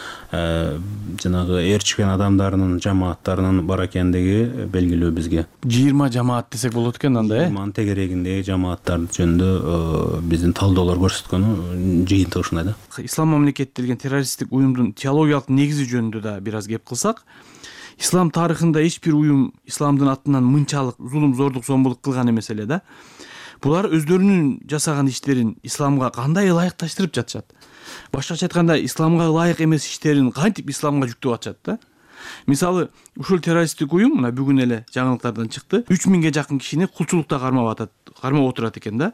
жанагы ээрчишкен адамдарынын, жамааттарынын бар экендиги белгилүү бизге. жыйырма жамаат десек болот экен анда, э? жыйырманын тегерегиндеги жамааттар жөнүндө биздин талдоолор көрсөткөнү жыйынтыгы ушундай да. Ислам мамлекети деген террористтик уюмдун теологиялык негизи жөнүндө да бир аз кеп кылсак, ислам тарыхында эч бир уюм исламдын атынан мынчалык зулум, зордук, зомбулук кылган эмес эле да. Булар өздөрүнүн жасаган иштерин исламга кандай ылайыкташтырып жатышат? Башкача айтканда, исламга ылайык эмес иштерин кантип исламга жүктөп атышат да? Мисалы, ушул террористтик уюм мына бүгүн эле жаңылыктардан чыкты. үч миңге жакын кишини кулчулукта кармап атат, кармап отурат экен да.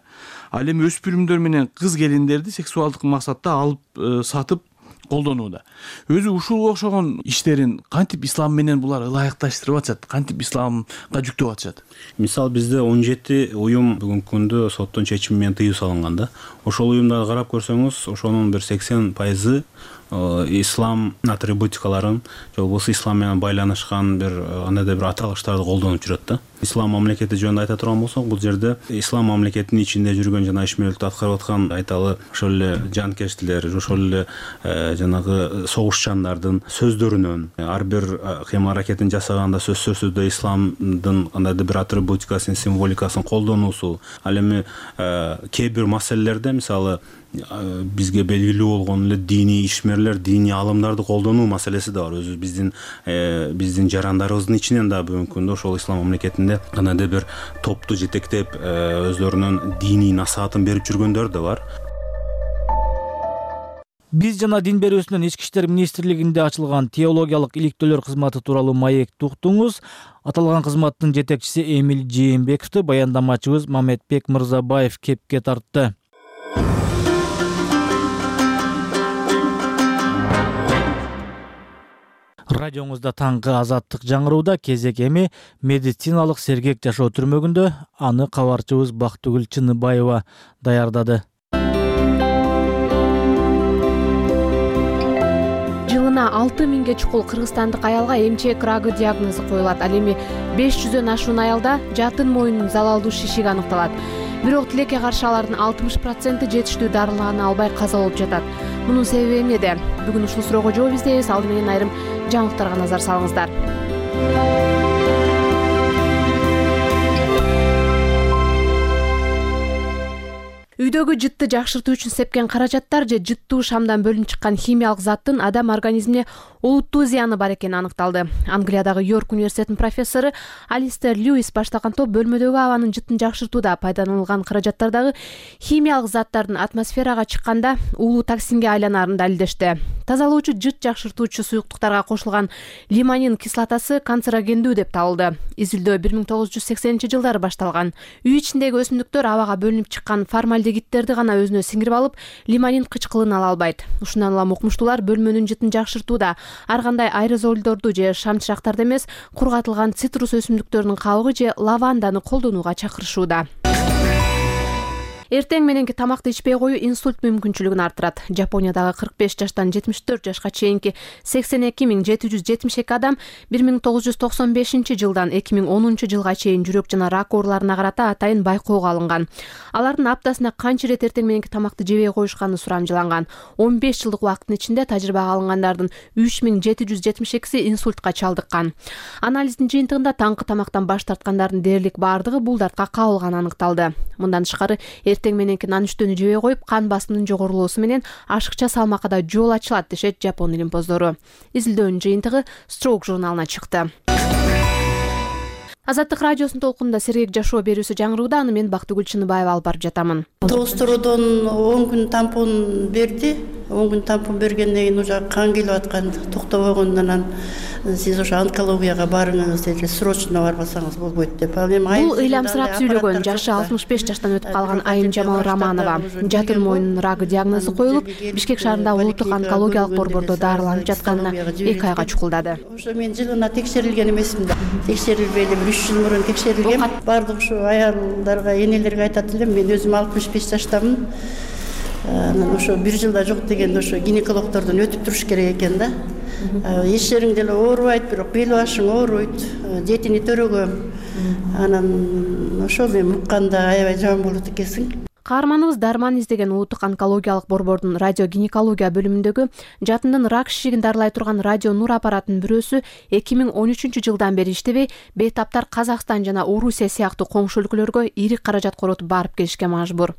Ал эми өспүрүмдөр менен кыз келиндерди сексуалдык максатта алып сатып колдонууда. Өзү ушул окшогон иштерин кантип ислам менен булар ылайыкташтырып атышат, кантип исламга жүктөп атышат? Мисалы, бизде он жети уюм бүгүнкү күндө соттун чечими менен тыюу салынган да. Ошол уюмдарды карап көрсөңүз, ошонун бир сексен пайызы ислам атрибутикаларын, же болбосо ислам менен байланышкан бир андайда бир аталыштарды колдонуп жүрөт да. Ислам мамлекети жөнүндө айта турган болсок, бул жерде ислам мамлекетинин ичинде жүргөн жана ишмердүүлүктү аткарып аткан айталы ошол эле жанкечтилер, ошол эле жанагы согушчандардын сөздөрүнөн ар бир кыйм-аракетин жасаганда сөзсүз түрдө исламдын кандайдыр бир атрибутикасын, символикасын колдонуусу. Ал эми кээ бир маселелерде, мисалы, бизге белгилүү болгон эле диний ишмерлер, диний алымдарды колдонуу маселеси да бар. Өзү биздин биздин жарандарыбыздын ичинен да бүгүнкү күндө ошол ислам мамлекетинде кандайдыр бир топту жетектеп өздөрүнүн диний насаатын берип жүргөндөр да бар. Биз жана дин берүүсүнүн ички иштер министрлигинде ачылган теологиялык иликтөөлөр кызматы тууралуу маекти уктуңуз. Аталган кызматтын жетекчиси Эмиль Жээнбековду баяндамачыбыз Мамедбек Мырзабаев кепке тартты. Радиоңузда таңкы азаттык жаңырууда кезек эми медициналык сергек жашоо түрмөгүндө. Аны кабарчыбыз Бактыгүл Чыныбаева даярдады. Жылына алты миңге чукул кыргызстандык аялга эмчек рагы диагнозу коюлат. Ал эми беш жүздөн ашуун аялда жатын мойнунун залалдуу шишиги аныкталат. Бирок тилекке каршы алардын алтымыш проценти жетиштүү дарылааны албай каза болуп жатат. Мунун себеби эмнеде? Бүгүн ушул суроого жооп издейбиз. Алды менен айрым жаңылыктарга назар салыңыздар. Үйдөгү жытты жакшыртуу үчүн сепкен каражаттар же жыттуу шамдан бөлүнүп чыккан химиялык заттын адам организмине олуттуу зыяны бар экени аныкталды. Англиядагы Йорк университетинин профессору Алистер Льюис баштаган топ бөлмөдөгү абанын жыттын жакшыртууда пайдаланылган каражаттардагы химиялык заттардын атмосферага чыкканда уулуу токсинге айланарын далилдешти. Тазалоочу жыт жакшыртуучу суюктуктарга кошулган лимонин кислотасы канцерогендүү деп табылды. Изилдөө бир миң тогуз жүз сексенинчи жылдары башталган. Үй ичиндеги өсүмдүктөр абага бөлүнүп чыккан формальдегидтерди гана өзүнө сиңирип алып, лимонин кычкылын ала албайт. Ушундан улам укмуштуулар бөлмөнүн жытын жакшыртууда ар кандай аэрозолдорду же шамчырактарды эмес, кургатылган цитрус өсүмдүктөрүнүн кабыгы же лаванданы колдонууга чакырышууда. Эртең мененки тамакты ичпей коюу инсульт мүмкүнчүлүгүн арттырат. Жапониядагы кырк беш жаштан жетимиш төрт жашка чейинки сексен эки миң жети жүз жетимиш эки адам бир миң тогуз жүз токсон бешинчи жылдан эки миң онунчу жылга чейин жүрөк жана рак ооруларына карата атайын байкоого алынган. Алардын аптасына канча ирет эртең мененки тамакты жебей коюшканы сурамжыланган. он беш жылдык убакыттын ичинде тажрыйбага алынгандардын үч миң жети жүз жетимиш экиси инсультка чалдыккан. Анализдин жыйынтыгында таңкы тамактан баш тарткандардын дээрлик баардыгы бул дартка кабылганы аныкталды. Мындан тышкары эртең мененки нан үстөнү жебей коюп, кан басымынын жогорулоосу менен ашыкча салмакка да жол ачылат дешет Жапон илимпоздору. Изилдөөнүн жыйынтыгы Stroke журналына чыкты. Азаттык радиосунун толкунунда сергек жашоо берүүсү жаңырууда. Аны мен Бактыгүл Чыныбаева алып барып жатамын. Тоостородон он күн тампон берди. он күн тампон бергенден кийин уже кан келип аткан, токтобогондон анан сиз ошо онкологияга барыңыз деди, срочно барбасаңыз болбойт деп. Ал эми бул ыйламсырап сүйлөгөн жашы алтымыш беш жаштан өтүп калган Айым Жамал Романова. Жатын мойнунун рагы диагнозу коюлуп, Бишкек шаарында улуттук онкологиялык борбордо дарыланып жатканына эки айга чукулдады. Ошо мен жылына текшерилген эмесмин да. Текшерилбейли бир үч жыл мурун текшерилгем. Бардык ушу аялдарга, энелерге айтат элем, мен өзүм алтымыш беш жаштамын. Анан ошо бир жылда жок дегенде ошо гинекологдордон өтүп туруш керек экен да. Эч жериң деле оорубайт, бирок бел башың ооруйт, жетини төрөгөм. Анан ошо мен укканда аябай жаман болот экенсиң. Каарманыбыз дарман издеген улуттук онкологиялык борбордун радиогинекология бөлүмүндөгү жатындын рак шишигин дарылай турган радио нур аппаратынын бирөөсү эки миң он үчүнчү жылдан бери иштебей, бейтаптар Казакстан жана Орусия сыяктуу коңшу өлкөлөргө ири каражат коротуп барып келишке мажбур.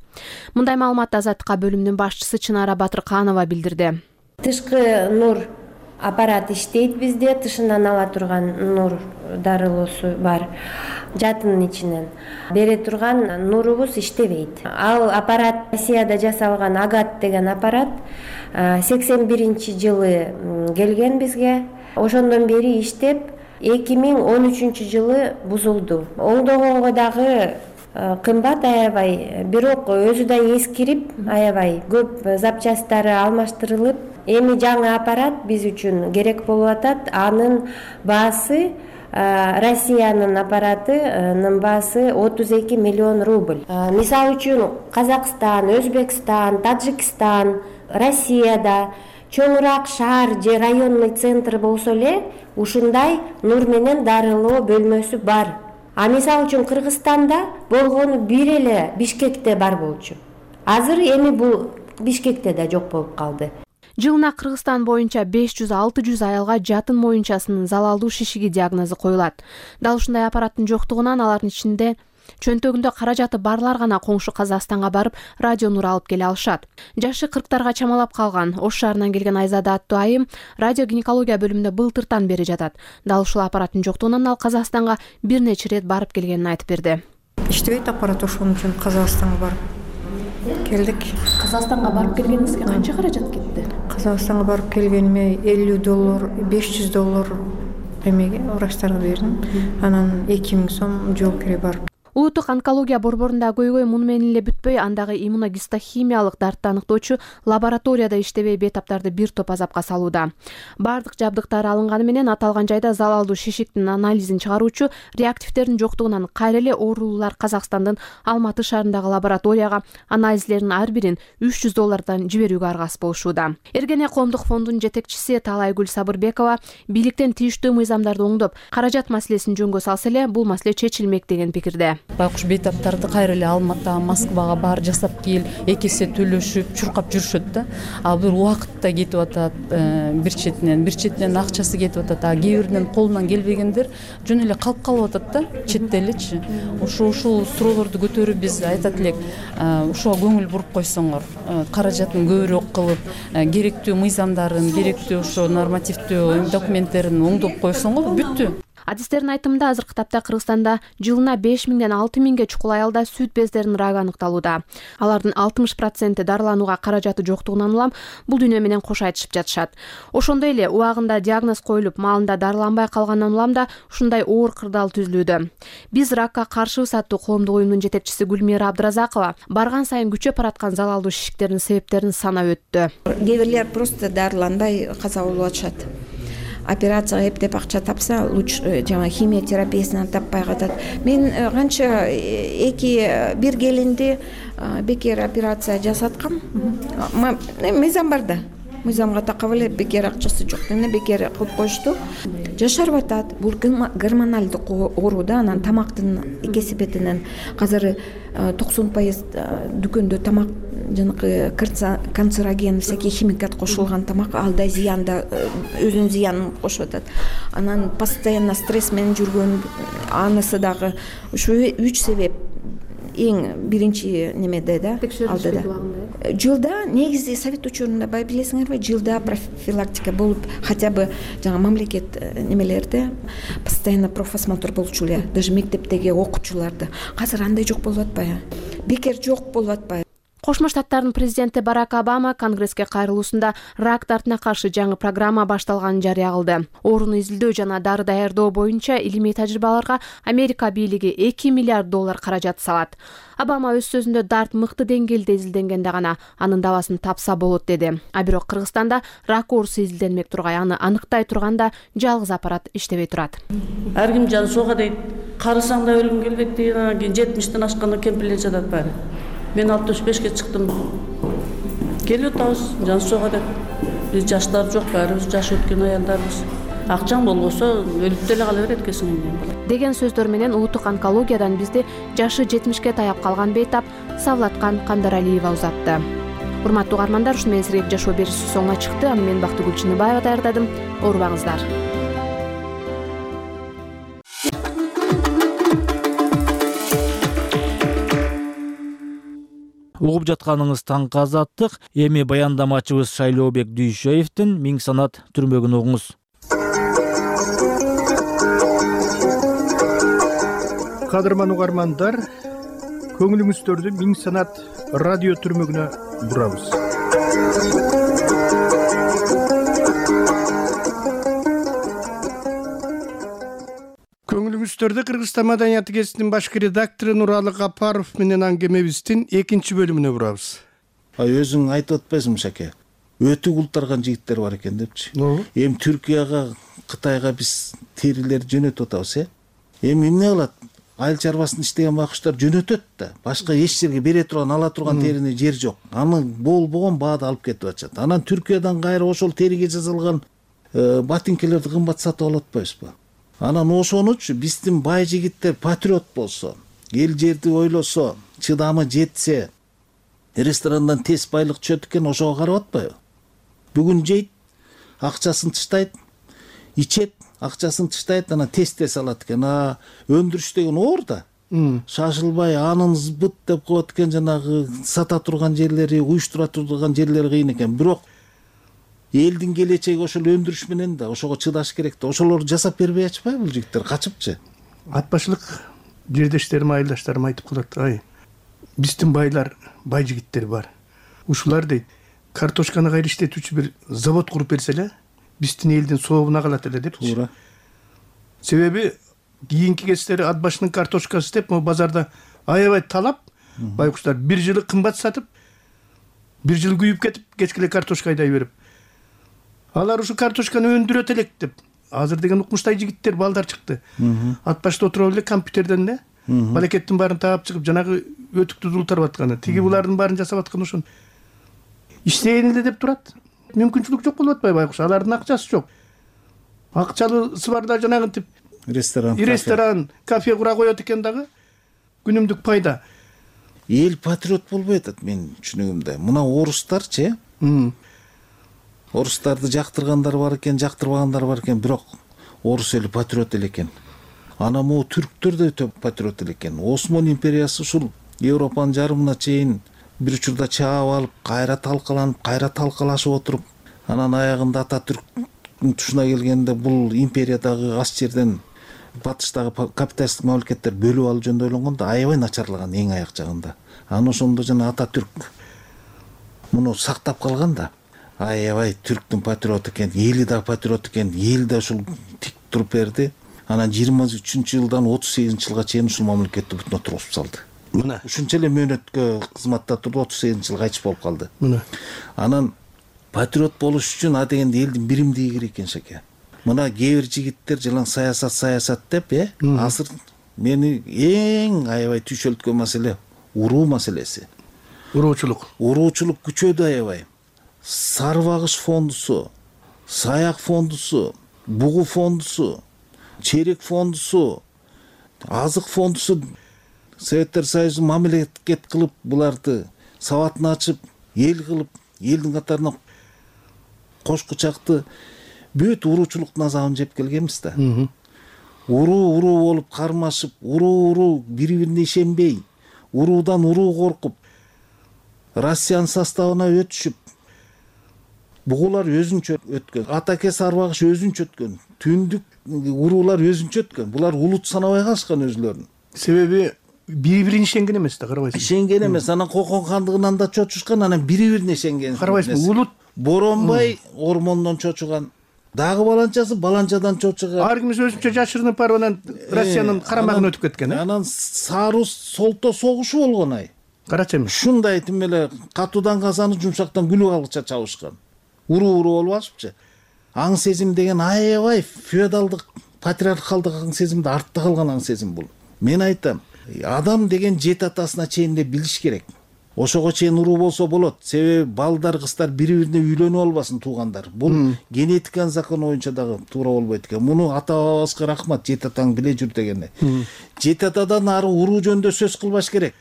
Мындай маалыматты Азаттыкка бөлүмүнүн башчысы Чынара Батырканова билдирди. Тышкы нур аппарат иштейт бизде, тышынан ала турган нур дарылоосу бар. Жатын ичинен бере турган нурубуз иштебейт. Ал аппарат Россияда жасалган Агат деген аппарат сексен биринчи жылы келген бизге. Ошондон бери иштеп, эки миң он үчүнчү жылы бузулду. Оңдогонго дагы кымбат аябай, бирок өзү да эскирип, аябай көп запчасттары алмаштырылып, эми жаңы аппарат биз үчүн керек болуп атат. Анын баасы Россиянын аппаратынын баасы отуз эки миллион рубль. Мисалы үчүн Казакстан, Өзбекстан, Таджикстан, Россияда чоңураак шаар же районный центр болсо эле ушундай нур менен дарылоо бөлмөсү бар. А мисалы үчүн Кыргызстанда болгону бир эле Бишкекте бар болчу. Азыр эми бул Бишкекте да жок болуп калды. Жылына Кыргызстан боюнча беш жүз алты жүз аялга жатын моюнчасынын залалдуу шишиги диагнозу коюлат. Дал ушундай аппараттын жоктугунан алардын ичинде чөнтөгүндө каражаты барлар гана коңшу Казакстанга барып радио нур алып келе алышат. Жашы кырктарга чамалап калган Ош шаарынан келген Айзада аттуу айым радиогинекология бөлүмүндө былтыртан бери жатат. Дал ушул аппараттын жоктугунан ал Казакстанга бир нече ирет барып келгенин айтып берди. Иштебейт аппарат, ошон үчүн Казакстанга барып Келдик. Казакстанга барып келгениңизге канча каражат кетти? Казакстанга барып келгениме элүү доллар, беш жүз доллар эмеге врачтарга бердим. Анан эки миң сом жол кире барып. Улуттук онкология борборунда көйгөй муну менен эле бүтпөй, андагы иммуногистохимиялык дартты аныктоочу лабораторияда иштебей бейтаптарды бир топ азапка салууда. Бардык жабдыктары алынганы менен аталган жайда залалдуу шишиктин анализин чыгаруучу реактивдердин жоктугунан кайра эле оорулуулар Казакстандын Алматы шаарындагы лабораторияга анализдердин ар бирин үч жүз доллардан жиберүүгө аргасыз болушууда. Эргене коомдук фондунун жетекчиси Талайгүл Сабырбекова бийликтен тийиштүү мыйзамдарды оңдоп, каражат маселесин жөнгө салса эле бул маселе чечилмек деген пикирде. Байкуш бейтаптарды кайра эле Алматыга, Москвага бар жасап кел, эки эсе төлөшүп, чуркап жүрүшөт да. А бир убакытта кетип атат, бир четинен, бир четинен акчасы кетип атат. А кээ биринин колунан келбегендер жөн эле калып калып атат да, четте элечи. Ошо ушул суроолорду көтөрүп биз айтат элек, ошого көңүл буруп койсоңор, каражатын көбүрөөк кылып, керектүү мыйзамдарын, керектүү ошо нормативдүү документтерин оңдоп койсоңор бүттү. Адистердин айтымында азыркы тапта Кыргызстанда жылына беш миңден алты миңге чукул аялда сүт бездеринин рагы аныкталууда. Алардын алтымыш проценти дарыланууга каражаты жоктугунан улам бул дүйнө менен кош айтышып жатышат. Ошондой эле убагында диагноз коюлуп, маалында дарыланбай калгандан улам да ушундай оор кырдаал түзүлүүдө. Биз ракка каршыбыз аттуу коомдук уюмдун жетекчиси Гүлмира Абдыразакова барган сайын күчөп бараткан залалдуу шишиктердин себептерин санап өттү. Кээ бирлер просто дарыланбай каза болуп атышат. Операцияга эптеп акча тапса, лучше жана химия терапиясынан таппай катат. Мен канча эки бир келинди бекер операция жасаткам. Мыйзам бар да. Мыйзамга такап эле бекер акчасы жок. Мени бекер кылып коюшту. Жашарып атат. Бул гормоналдык оору да, анан тамактын кесипетинен азыр токсон пайыз дүкөндө тамак жанакы канцероген, всякий химикат кошулган тамак, ал да зыянда, өзүнүн зыянын кошуп атат. Анан постоянно стресс менен жүргөн, анысы дагы ушу үч себеп эң биринчи немеде да, алдыда. Жылда негизи совет учурунда бай билесиңерби, жылда профилактика болуп, хотя бы жаңа мамлекет немелерде постоянно профосмотр болчу эле, даже мектептеги окуучуларды. Азыр андай жок болуп атпайбы? Бекер жок болуп атпайбы? Кошмо Штаттардын президенти Барак Обама Конгресске кайрылуусунда рак дартына каршы жаңы программа башталганын жарыя кылды. Ооруну изилдөө жана дары даярдоо боюнча илимий тажрыйбаларга Америка бийлиги эки миллиард доллар каражат салат. Обама өз сөзүндө дарт мыкты деңгээлде изилденгенде гана анын дабасын тапса болот деди. А бирок Кыргызстанда рак оорусу изилденмек тургай, аны аныктай турганда жалгыз аппарат иштебей турат. Ар ким жан суга дейт, карасаң да өлүм келбейт дейт, жетимиштен ашканда кемпирлер жатат баары. Мен алтымыш бешке чыктым. Келип атабыз, жан суга деп. Биз жаштар жок, баарыбыз жаш өткөн аялдарбыз. Акчаң болбосо өлүп деле кала берет экенсиң эмне. Деген сөздөр менен улуттук онкологиядан бизди жашы жетимишке таяп калган бейтап Савлаткан Кандаралиева узатты. Урматтуу угармандар, ушуну менен сиздерге жашоо берүүсү соңуна чыкты. Аны мен Бактыгүл Чыныбаева даярдадым. Оорубаңыздар. Угуп жатканыңыз таңкы азаттык. Эми баяндамачыбыз Шайлообек Дүйшөевдин Миң санат түрмөгүн угуңуз. Кадырман угармандар, көңүлүңүздөрдү Миң санат радио түрмөгүнө бурабыз. Көңүлүңүздөрдү Кыргызстан маданияты гезитинин башкы редактору Нуралы Капаров менен аңгемебиздин экинчи бөлүмүнө бурабыз. Ай өзүң айтып атпайсыңбы Шаке? Өтө култарган жигиттер бар экен депчи. Эми Түркияга, Кытайга биз терилерди жөнөтүп атабыз, э? Эми эмне кылат? Айыл чарбасында иштеген байкуштар жөнөтөт да. Башка эч жерге бере турган, ала турган терини жер жок. Аны болбогон баада алып кетип атышат. Анан Түркиядан кайра ошол териге жазылган ботинкелерди кымбат сатып алып атпайбызбы? Анан ошонучу биздин бай жигиттер патриот болсо, эл жерди ойлосо, чыдамы жетсе, ресторандан тез байлык түшөт экен, ошого карап атпайбы? Бүгүн жейт, акчасын тыштайт, ичет, акчасын тыштайт, анан тез-тез алат экен. А өндүрүш деген оор да. Шашылбай, анын збыт деп коет экен, жанагы сата турган жерлери, уюштура турган жерлери кыйын экен. Бирок элдин келечеги ошол өндүрүш менен да, ошого чыдаш керек да. Ошолорду жасап бербей атышпайбы бул жигиттер, качыпчы? Ат башылык жердештерим, айылдаштарым айтып калат, ай, биздин байлар бай жигиттер бар. Ушулар дейт картошканы кайра иштетүүчү бир завод куруп берсе эле биздин элдин сообуна калат эле депчи. Туура. Себеби кийинки кездери ат башынын картошкасы деп могу базарда аябай талап, байкуштар бир жылы кымбат сатып, бир жыл күйүп кетип, кечке эле картошка айдай берип. Алар ушу картошканы өндүрөт элек деп. Азыр деген укмуштай жигиттер, балдар чыкты. Ат башта отуруп эле компьютерден эле балекеттин баарын таап чыгып, жанагы өтүктү дултарып атканы, тиги булардын баарын жасап аткан ошон. Иштейин эле деп турат. Мүмкүнчүлүк жок болуп атпайбы байкуш? Алардын акчасы жок. Акчалысы барда жанагынтип ресторан, ресторан, кафе кура коет экен дагы. Күнүмдүк пайда. Эл патриот болбой атат менин түшүнүгүмдө. Мына орустарчы, орустарды жактыргандар бар экен, жактырбагандар бар экен, бирок орус эли патриот эле экен. Ана могу түрктөр да өтө патриот эле экен. Осман империясы ушул Европанын жарымына чейин бир учурда чаап алып, кайра талкаланып, кайра талкалашып отуруп, анан аягында Ататүрктүн тушуна келгенде бул империядагы аз жерден батыштагы капиталисттик мамлекеттер бөлүп алуу жөнүндө ойлонгон да аябай начарлаган эң аяк жагында. Анан ошондо жана Ататүрк муну сактап калган да. Аябай түрктүн патриот экен, эли да патриот экен, эл да ушул тик туруп берди. Анан жыйырма үчүнчү жылдан отуз сегизинчи жылга чейин ушул мамлекетти бүтүнө тургузуп салды. Мына ушунча эле мөөнөткө кызматта турду, отуз сегизинчи жылы кайтыш болуп калды. Мына анан патриот болуш үчүн а дегенде элдин биримдиги керек экен шеке. Мына кээ бир жигиттер жылаң саясат саясат деп, э, азыр мени эң аябай түйшөлткөн маселе уруу маселеси. Уруучулук. Уруучулук күчөдү аябай. Сарбагыш фондусу, саяк фондусу, бугу фондусу, черек фондусу, азык фондусу Советтер Союзу мамлекет кылып буларды сабатын ачып, эл кылып, элдин катарына кош кучакты бүт уруучулуктун азабын жеп келгенбиз да. Уруу уруу болуп кармашып, уруу уруу бири-бирине ишенбей, уруудан уруу коркуп, Россиянын составына өтүшүп, бугулар өзүнчө өткөн, атаке сарбагыш өзүнчө өткөн, түндүк уруулар өзүнчө өткөн. Булар улут санабай калышкан өзүлөрүн. Себеби бири-бирине ишенген эмес да, карабайсың. Ишенген эмес. Анан Кокон хандыгынан да чочушкан, анан бири-бирине ишенген. Карабайсың, улут Боронбай ормондон чочуган, дагы баланчасы баланчадан чочуган. Ар кимиз өзүнчө жашырынып барып анан Россиянын карамагына өтүп кеткен, э? Анан Сары Солто согушу болгон ай. Карачы эми. Ушундай тим эле катуудан казаны, жумшактан күлүп алгыча чабышкан. Уруу-уруу болуп алышыпчы. Аң сезим деген аябай феодалдык, патриархалдык аң сезимде артта калган аң сезим бул. Мен айтам, адам деген жет атасына чейин эле билиш керек. Ошого чейин уруу болсо болот. Себеби балдар, кыздар бири-бирине үйлөнүп албасын, туугандар. Бул генетиканын закону боюнча дагы туура болбойт экен. Муну ата бабабызга рахмат, жет атаң биле жүр дегени. Жет атадан ары уруу жөнүндө сөз кылбаш керек.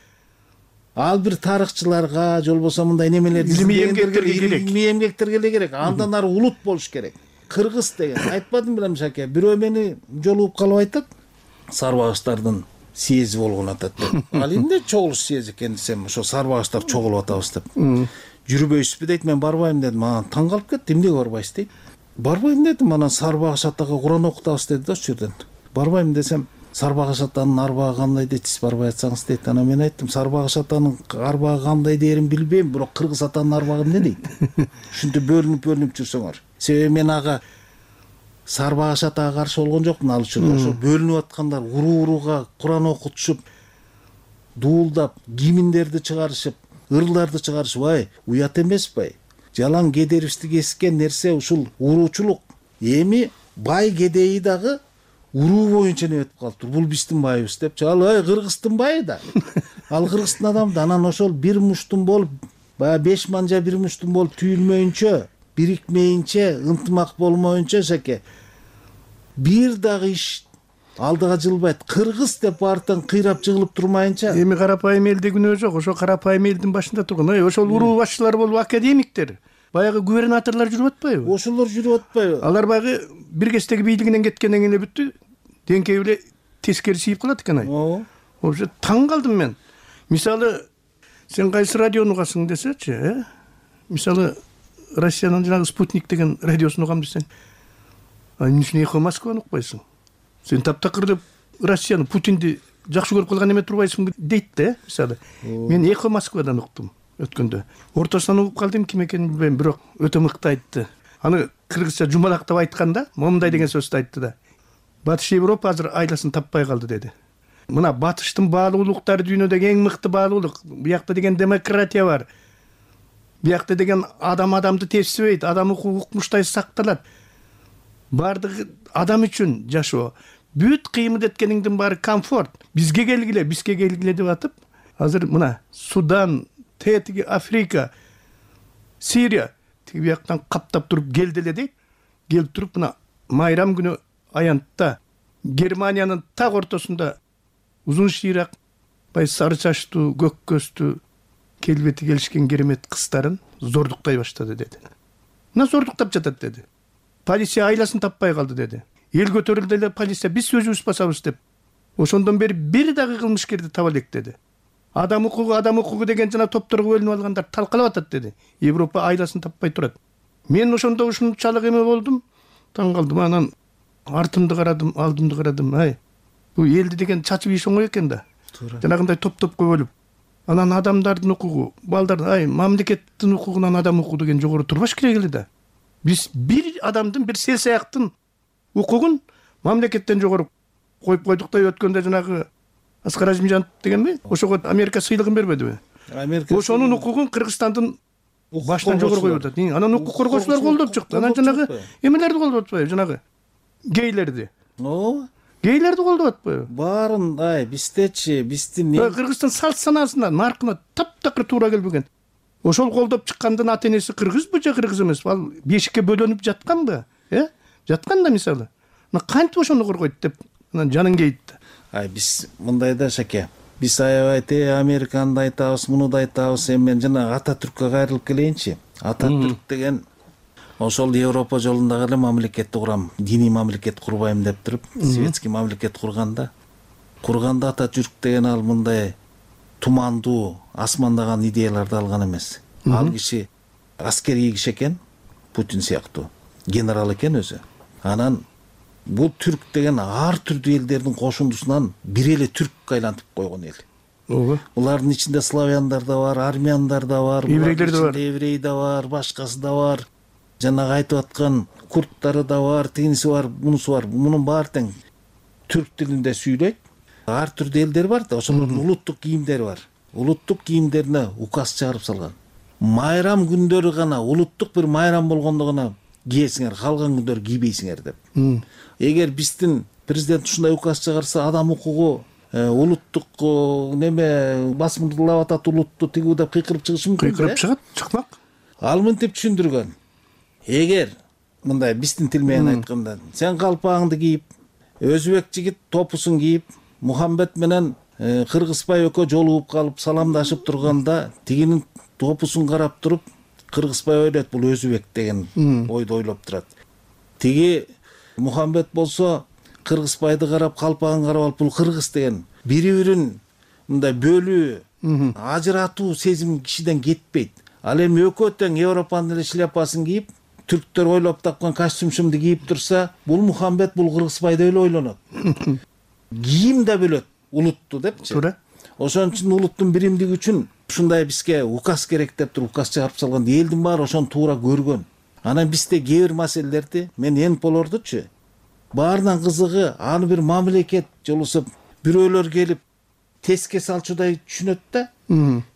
Ал бир тарыхчыларга, же болбосо мындай немелерди илимий эмгектерге керек. Илимий эмгектерге эле керек. Андан ары улут болуш керек. Кыргыз деген айтпадым белем шаке. Бирөө мени жолугуп калып айтат, сарбагыштардын съези болгон атат деп. Ал эмне чогулуш съези экен десем, ошо сарбагыштар чогулуп атабыз деп. Жүрбөйсүзбү дейт, мен барбайм дедим. Анан таң калып кетти, эмнеге барбайсыз дейт. Барбайм дедим, анан сарбагыш атага Куран окутабыз деди да ошол жерден. Барбайм десем, сарбагыш атанын арбагы кандай дейт, сиз барбай атсаңыз дейт. Анан мен айттым, сарбагыш атанын арбагы кандай дээрин билбейм, бирок кыргыз атанын арбагы эмне дейт. Ушинтип бөлүнүп-бөлүнүп жүрсөңөр. Себеби мен ага сарбагыш атага каршы болгон жокмун ал үчүн. Ошо бөлүнүп аткандар уруу-урууга Куран окутушуп, дуулдап, гимндерди чыгарышып, ырларды чыгарышып, ай, уят эмеспи? Жалаң кедерибизди кескен нерсе ушул уруучулук. Эми бай кедейи дагы уруу боюнча эме өтүп калыптыр. Бул биздин байыбыз депчи. Ал ай Кыргыздын байы да. Ал Кыргыздын адамы да. Анан ошол бир муштун болуп, баягы беш манжа бир муштун болуп түйүлмөйүнчө, бирикмейинче, ынтымак болмоюнча шаке бир дагы иш алдыга жылбайт. Кыргыз деп бартан кыйрап жыгылып турмайынча. Эми карапайым элде күнөө жок. Ошо карапайым элдин башында турган. Ой, ошол уруу башчылар болуп академиктер, баягы губернаторлор жүрүп атпайбы? Ошолор жүрүп атпайбы? Алар баягы бир кездеги бийлигинен кеткенден кийин эле бүттү. Деңкеби эле тескери сийип калат экен ай. Ооба. Ошо таң калдым мен. Мисалы, сен кайсы радиону угасың десечи, э? Мисалы, Россиянын жанагы Спутник деген радиосун угам десең, а эмне үчүн Эхо Москваны укпайсың? Сен таптакыр деп Россияны, Путинди жакшы көрүп калган эме турбайсыңбы дейт да. Мисалы мен Эхо Москвадан уктум өткөндө. Ортосунан угуп калдым, ким экенин билбейм, бирок өтө мыкты айтты. Аны кыргызча жумалактап айтканда момундай деген сөздү айтты да. Батыш Европа азыр айласын таппай калды деди. Мына батыштын баалуулуктары дүйнөдөгү эң мыкты баалуулук. Биякта деген демократия бар. Биякта деген адам адамды тепсибейт, адам укмуштай сакталат. Бардыгы адам үчүн жашоо. Бүт кыймыл эткениңдин баары комфорт. Бизге келгиле, бизге келгиле деп атып, азыр мына Судан, тетиги Африка, Сирия тиги бияктан каптап туруп келделе дейт. Келип туруп мына майрам күнү аянтта Германиянын так ортосунда узун шыйрак, бай сары чачтуу, көк көздүү, келбети келишкен керемет кыздарын зордуктай баштады деди. Мына зордуктап жатат деди. Полиция айласын таппай калды деди. Эл көтөрүлдү эле полиция биз өзүбүз басабыз деп. Ошондон бери бир дагы кылмышкерди таба элек деди. Адам укугу, адам укугу деген жана топторго бөлүнүп алгандар талкалап атат деди. Европа айласын таппай турат. Мен ошондо ушунчалык эме болдум, таң калдым. Анан артымды карадым, алдымды карадым. Ай, бул элди деген чачып ийиш оңой экен да. Жанагындай топ-топко бөлүп. Анан адамдардын укугу, балдардын, ай, мамлекеттин укугунан адам укугу деген жогору турбаш керек эле да. Биз бир адамдын, бир сел саяктын укугун мамлекеттен жогору коюп койдук да, өткөндө жанагы Аскар Азимжанов дегенби? Ошого Америка сыйлыгын бербедиби? Америка ошонун укугун Кыргызстандын баштан жогору коюп атат. Анан укук коргоочулар колдоп чыкты. Анан жанагы эмелерди колдоп атпайбы? Жанагы гейлерди. Ооба. Гейлерди колдоп атпайбы? Баарын, ай, биздечи, биздин Кыргызстан салт санаасына, наркына таптакыр туура келбеген. Ошол колдоп чыккандын ата энеси кыргызбы же кыргыз эмеспи? Ал бешикке бөлөнүп жатканбы? Э? Жаткан да мисалы. Мына кантип ошону коргойт деп анан жаның кейт. Ай, биз мындай да шаке. Биз аябай те Американды айтабыз, муну да айтабыз. Эми мен жана Ататүрккө кайрылып келейинчи. Ататүрк деген ошол Европа жолундагы эле мамлекетти курам, диний мамлекет курбайм деп туруп, светский мамлекет курганда, курганда Ататүрк деген ал мындай тумандуу, асмандаган идеяларды алган эмес. Ал киши аскерий киши экен, Путин сыяктуу, генерал экен өзү. Анан бул түрк деген ар түрдүү элдердин кошундусунан бир эле түрккө айлантып койгон эл. Ооба. Булардын ичинде славяндар да бар, армяндар да бар, еврейлер да бар, еврей да бар, башкасы да бар. Жанагы айтып аткан курттары да бар, тигиниси бар, мунусу бар. Мунун баары тең түрк тилинде сүйлөйт. Ар түрдүү элдер бар да, ошолордун улуттук кийимдери бар. Улуттук кийимдерине указ чыгарып салган. Майрам күндөрү гана, улуттук бир майрам болгондо гана кийесиңер, калган күндөрү кийбейсиңер деп. Эгер биздин президент ушундай указ чыгарса, адам укугу, улуттук неме басымдуулап атат, улутту тигүү деп кыйкырып чыгышы мүмкүн. Кыйкырып чыгат, чыкмак. Ал мынтип түшүндүргөн. Эгер мындай биздин тил менен айтканда, сен калпагыңды кийип, өзбек жигит топусун кийип, Мухаммед менен Кыргызбай экөө жолугуп калып саламдашып турганда, тигинин топусун карап туруп, Кыргызбай ойлойт бул өзбек деген ойду ойлоп турат. Тиги Мухаммед болсо Кыргызбайды карап, калпагын карап алып, бул кыргыз деген бири-бирин мындай бөлүү, ажыратуу сезим кишиден кетпейт. Ал эми экөө тең Европанын эле шляпасын кийип, түрктөр ойлоп тапкан костюмшумду кийип турса, бул Мухаммед, бул Кыргызбай деп эле ойлонот. Кийим да бөлөт улутту депчи. Туура. Ошон үчүн улуттун биримдиги үчүн ушундай бизге указ керек деп туруп указ чыгарып салган. Элдин баары ошону туура көргөн. Анан бизде кээ бир маселелерди, мен Энполордучу баарынан кызыгы, аны бир мамлекет жолусуп, бирөөлөр келип теске салчудай түшүнөт да.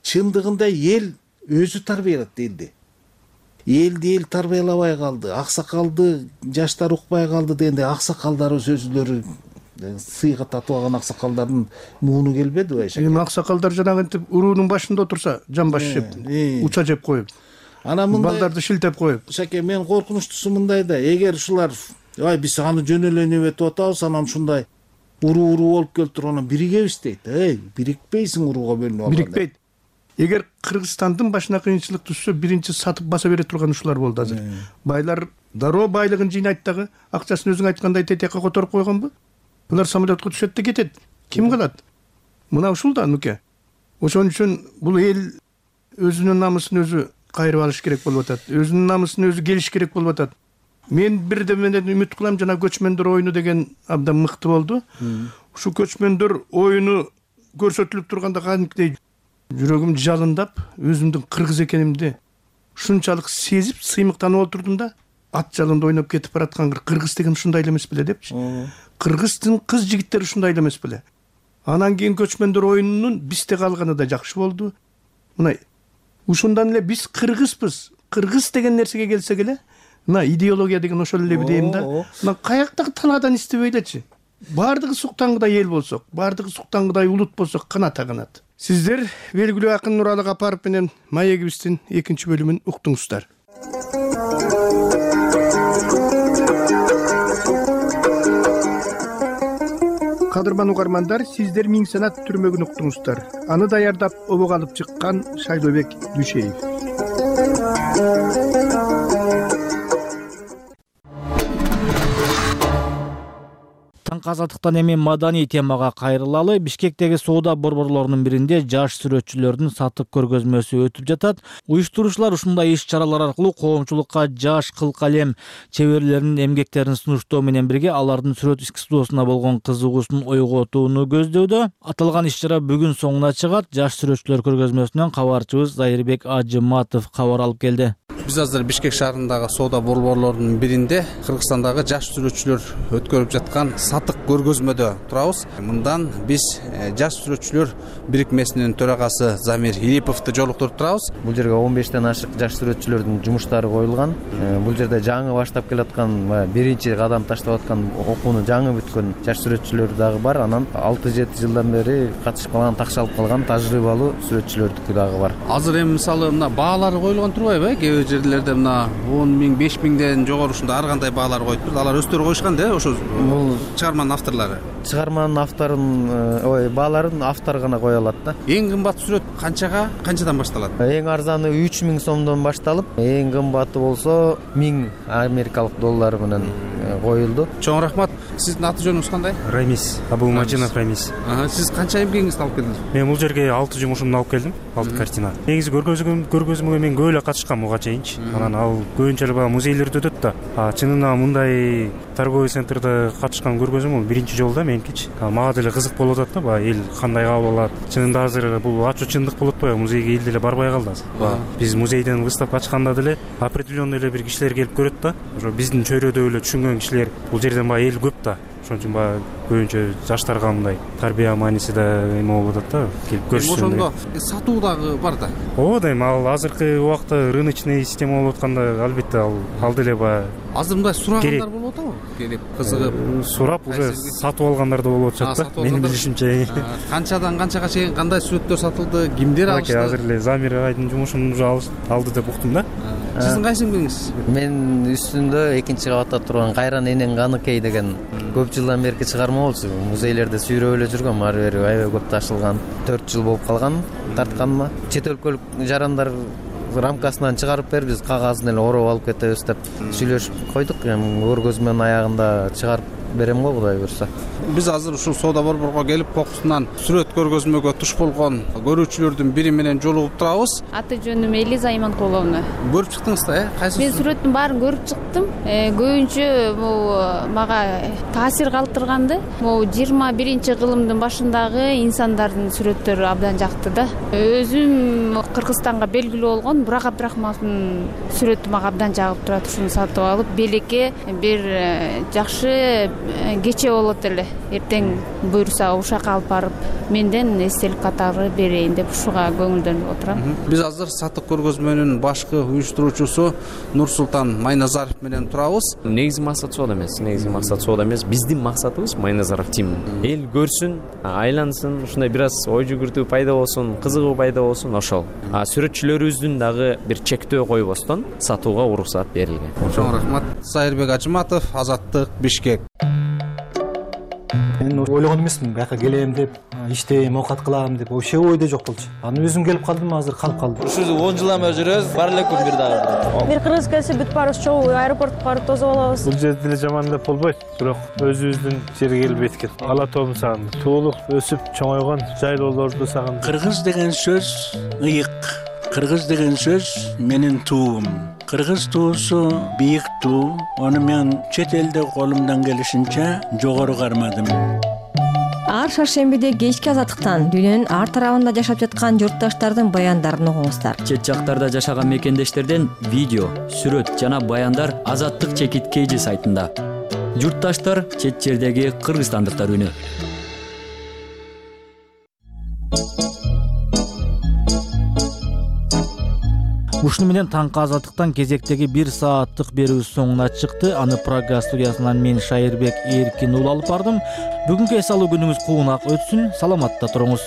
Чындыгында эл өзү тарбиялат элди. Элди эл тарбиялабай калды, аксакалды жаштар укпай калды дегенде, аксакалдарыбыз өзүлөрү сыйга татып алган аксакалдардын мууну келбедиби айша? Эми аксакалдар жанагынтип уруунун башында отурса, жамбаш жеп, уча жеп коюп, анан мындай балдарды шилтеп коюп. Шаке, мен коркунучтуусу мындай да, эгер ушулар, ай биз аны жөн эле небетип атабыз, анан ушундай уруу-уруу болуп келип туруп, анан биригебиз дейт. Эй, бирикпейсиң урууга бөлүнүп алганда. Бирикпейт. Эгер Кыргызстандын башына кыйынчылык түшсө, биринчи сатып баса бере турган ушулар болду азыр. Байлар дароо байлыгын жыйнайт дагы, акчасын өзүң айткандай тетекке которуп койгонбу? Булар самолетко түшөт да кетет. Ким кылат? Мына ушул да нуке. Ошон үчүн бул эл өзүнүн намысын өзү кайрып алыш керек болуп атат. Өзүнүн намысын өзү келиш керек болуп атат. Мен бирде менен үмүт кылам, жана көчмөндөр оюну деген абдан мыкты болду. ушул көчмөндөр оюну көрсөтүлүп турганда кадимкидей жүрөгүм жалындап, өзүмдүн кыргыз экенимди ушунчалык сезип, сыймыктанып отурдум да, ат жалында ойноп кетип бараткан кыргыз деген ушундай эле эмес беле депчи. Кыргыздын кыз жигиттери ушундай эле эмес беле. Анан кийин көчмөндөр оюнунун бизде калганы да жакшы болду. Мына ушундан эле биз кыргызбыз. Кыргыз деген нерсеге келсек эле, мына идеология деген ошол эле дейм да. Мына каяктагы талаадан истебей элечи. Бардыгы суктангыдай эл болсок, бардыгы суктангыдай улут болсок каната канат. Сиздер белгилүү акын Нуралы Капаров менен маегибиздин экинчи бөлүмүн уктуңуздар. Кадырман угармандар, сиздер Миң санат түрмөгүн уктуңуздар. Аны даярдап обого алып чыккан Шайлообек Дүшеев. Таңкы азаттыктан эми маданий темага кайрылалы. Бишкектеги соода борборлорунун биринде жаш сүрөтчүлөрдүн сатып көргөзмөсү өтүп жатат. Уюштуруучулар ушундай иш-чаралар аркылуу коомчулукка жаш кыл калем чеберлеринин эмгектерин сунуштоо менен бирге алардын сүрөт искусствосуна болгон кызыгуусун ойготууну көздөдө. Аталган иш-чара бүгүн соңуна чыгат. Жаш сүрөтчүлөр көргөзмөсүнөн кабарчыбыз Зайырбек Ажыматов кабар алып келди. Биз азыр Бишкек шаарындагы соода борборлорунун биринде Кыргызстандагы жаш сүрөтчүлөр өткөрүп жаткан сатык көргөзмөдө турабыз. Мындан биз жаш сүрөтчүлөр бирикмесинин төрагасы Замир Илиповду жолуктуруп турабыз. Бул жерге он бештен ашык жаш сүрөтчүлөрдүн жумуштары коюлган. Бул жерде жаңы баштап келаткан, биринчи кадам таштап аткан, окууну жаңы бүткөн жаш сүрөтчүлөр дагы бар. Анан алты жети жылдан бери катышып калган, такшалып калган тажрыйбалуу сүрөтчүлөрдүкү дагы бар. Азыр эми мисалы мына баалары коюлган турбайбы? Кээ бир жерлерде мына он миң, беш миңден жогору ушундай ар кандай баалар коюп турду. Алар өздөрү коюшкан да, ошо бул чыгарманын авторлору. Чыгарманын авторун, ой, бааларын автор гана кое алат да. Эң кымбат сүрөт канчага, канчадан башталат? Эң арзаны үч миң сомдон башталып, эң кымбаты болсо миң америкалык доллары менен коюлду. Чоң рахмат. Сиздин аты жөнүңүз кандай? Рамис, Абулмажинов Рамис. Сиз канча эмгегиңизди алып келдиңиз? Мен бул жерге алты жумушумду алып келдим, алты картина. Негизи көргөзмөгө мен көп эле катышкам буга чейинчи. Анан ал көбүнчө эле баягы музейлерде өтөт да. А чынына мындай торговый центрде катышкан көргөзмө бул биринчи жолу да меники. Мага деле кызык болуп атат да, баягы эл кандай кабыл алат. Чынында азыр бул ачууччундук болуп атпайбы? Музейге эл деле барбай калды азыр. Биз музейден выставка ачканда деле определенный эле бир кишилер келип көрөт да. Ошо биздин чөйрөдө эле түшүнгөн кишилер бул жерден баягы эл көп да. Ошон үчүн баягы көбүнчө жаштарга мындай тарбия мааниси да эме болуп атат да, келип көрүшсүн. Ошондо сатуу дагы бар да. Ооба да, эми ал азыркы убакта рыночный система болуп атканда албетте ал ал деле баягы азыр мындай сурагандар болуп атабы? Келип кызыгып сурап уже сатып алгандар да болуп атышат да. Менин билишимче. Канчадан канчага чейин кандай сүрөттөр сатылды, кимдер алышты? Азыр эле Замир айдын жумушун уже алды деп уктум да. Сиздин кайсы эмгегиңиз? Мен үстүндө экинчи кабатта турган Кайран энең Каныкей деген көп жылдан берки чыгарма болчу. Музейлерде сүйрөп эле жүргөм, ары бери аябай көп ташылган. төрт жыл болуп калган тартканыма. Чет өлкөлүк жарандар рамкасынан чыгарып бер, биз кагазын эле ороп алып кетебиз деп сүйлөшүп койдук. Эми көргөзмөнүн аягында чыгарып берем го, Кудай буйрса. Биз азыр ушул соода борборго келип кокусунан сүрөт көргөзмөгө туш болгон көрүүчүлөрдүн бири менен жолугуп турабыз. Аты жөнүм Элиза Иманкуловна. Көрүп чыктыңыз да, э? Кайсы? Мен сүрөттүн баарын көрүп чыктым. Көбүнчө бул мага таасир калтырганды. Бул жыйырма биринчи кылымдын башындагы инсандардын сүрөттөрү абдан жакты да. Өзүм Кыргызстанга белгилүү болгон Бурак Абдрахмановдун сүрөтү мага абдан жагып турат. Ушуну сатып алып, белекке бир жакшы кече болот эле. Эртең буйрса ушакка алып барып, менден эстелик катары берейин деп ушуга көңүлдөнүп отурам. Биз азыр сатык көргөзмөнүн башкы уюштуруучусу Нурсултан Майназаров менен турабыз. Негизи максат соода эмес, негизи максат соода эмес. Биздин максатыбыз Майназаров тим. Эл көрсүн, айлансын, ушундай бир аз ой жүгүртүү пайда болсун, кызыгуу пайда болсун, ошол. А сүрөтчүлөрүбүздүн дагы бир чектөө койбостон сатууга уруксат берилген. Чоң рахмат. Зайырбек Ажыматов, Азаттык, Бишкек. Мен ойлогон эмесмин, бияка келем деп, иштейм, оокат кылам деп, вообще ойдо жок болчу. Анан өзүм келип калдым, азыр калып калдым. Ушул он жылдан бери жүрөбүз, бар эле күн бир дагы. Бир кыргыз келсе бүт баарыбыз чогуу аэропортко барып тосуп алабыз. Бул жерде деле жаман деп болбойт, бирок өзүбүздүн жерге келип эткет. Ала тоомду сагындым. Туулуп, өсүп, чоңойгон жайлоолорду сагындым. Кыргыз деген сөз ыйык. Кыргыз деген сөз менин туум. Кыргыз туусу бийик туу. Аны мен чет элде колумдан келишинче жогору кармадым. ар шаршембиде кечки азаттыктан дүйнөнүн ар тарабында жашап жаткан журтташтардын баяндарын угуңуздар. Чет жактарда жашаган мекендештерден видео, сүрөт жана баяндар Азаттык чекит кейжи сайтында. Журтташтар чет жердеги кыргызстандыктар үнү. Ушуну менен таңкы Азаттыктан кезектеги бир сааттык берүү соңуна чыкты. Аны Прага студиясынан мен Шайырбек Эркин уулу алып бардым. Бүгүнкү эс алуу күнүңүз куунак өтсүн. Саламатта туруңуз.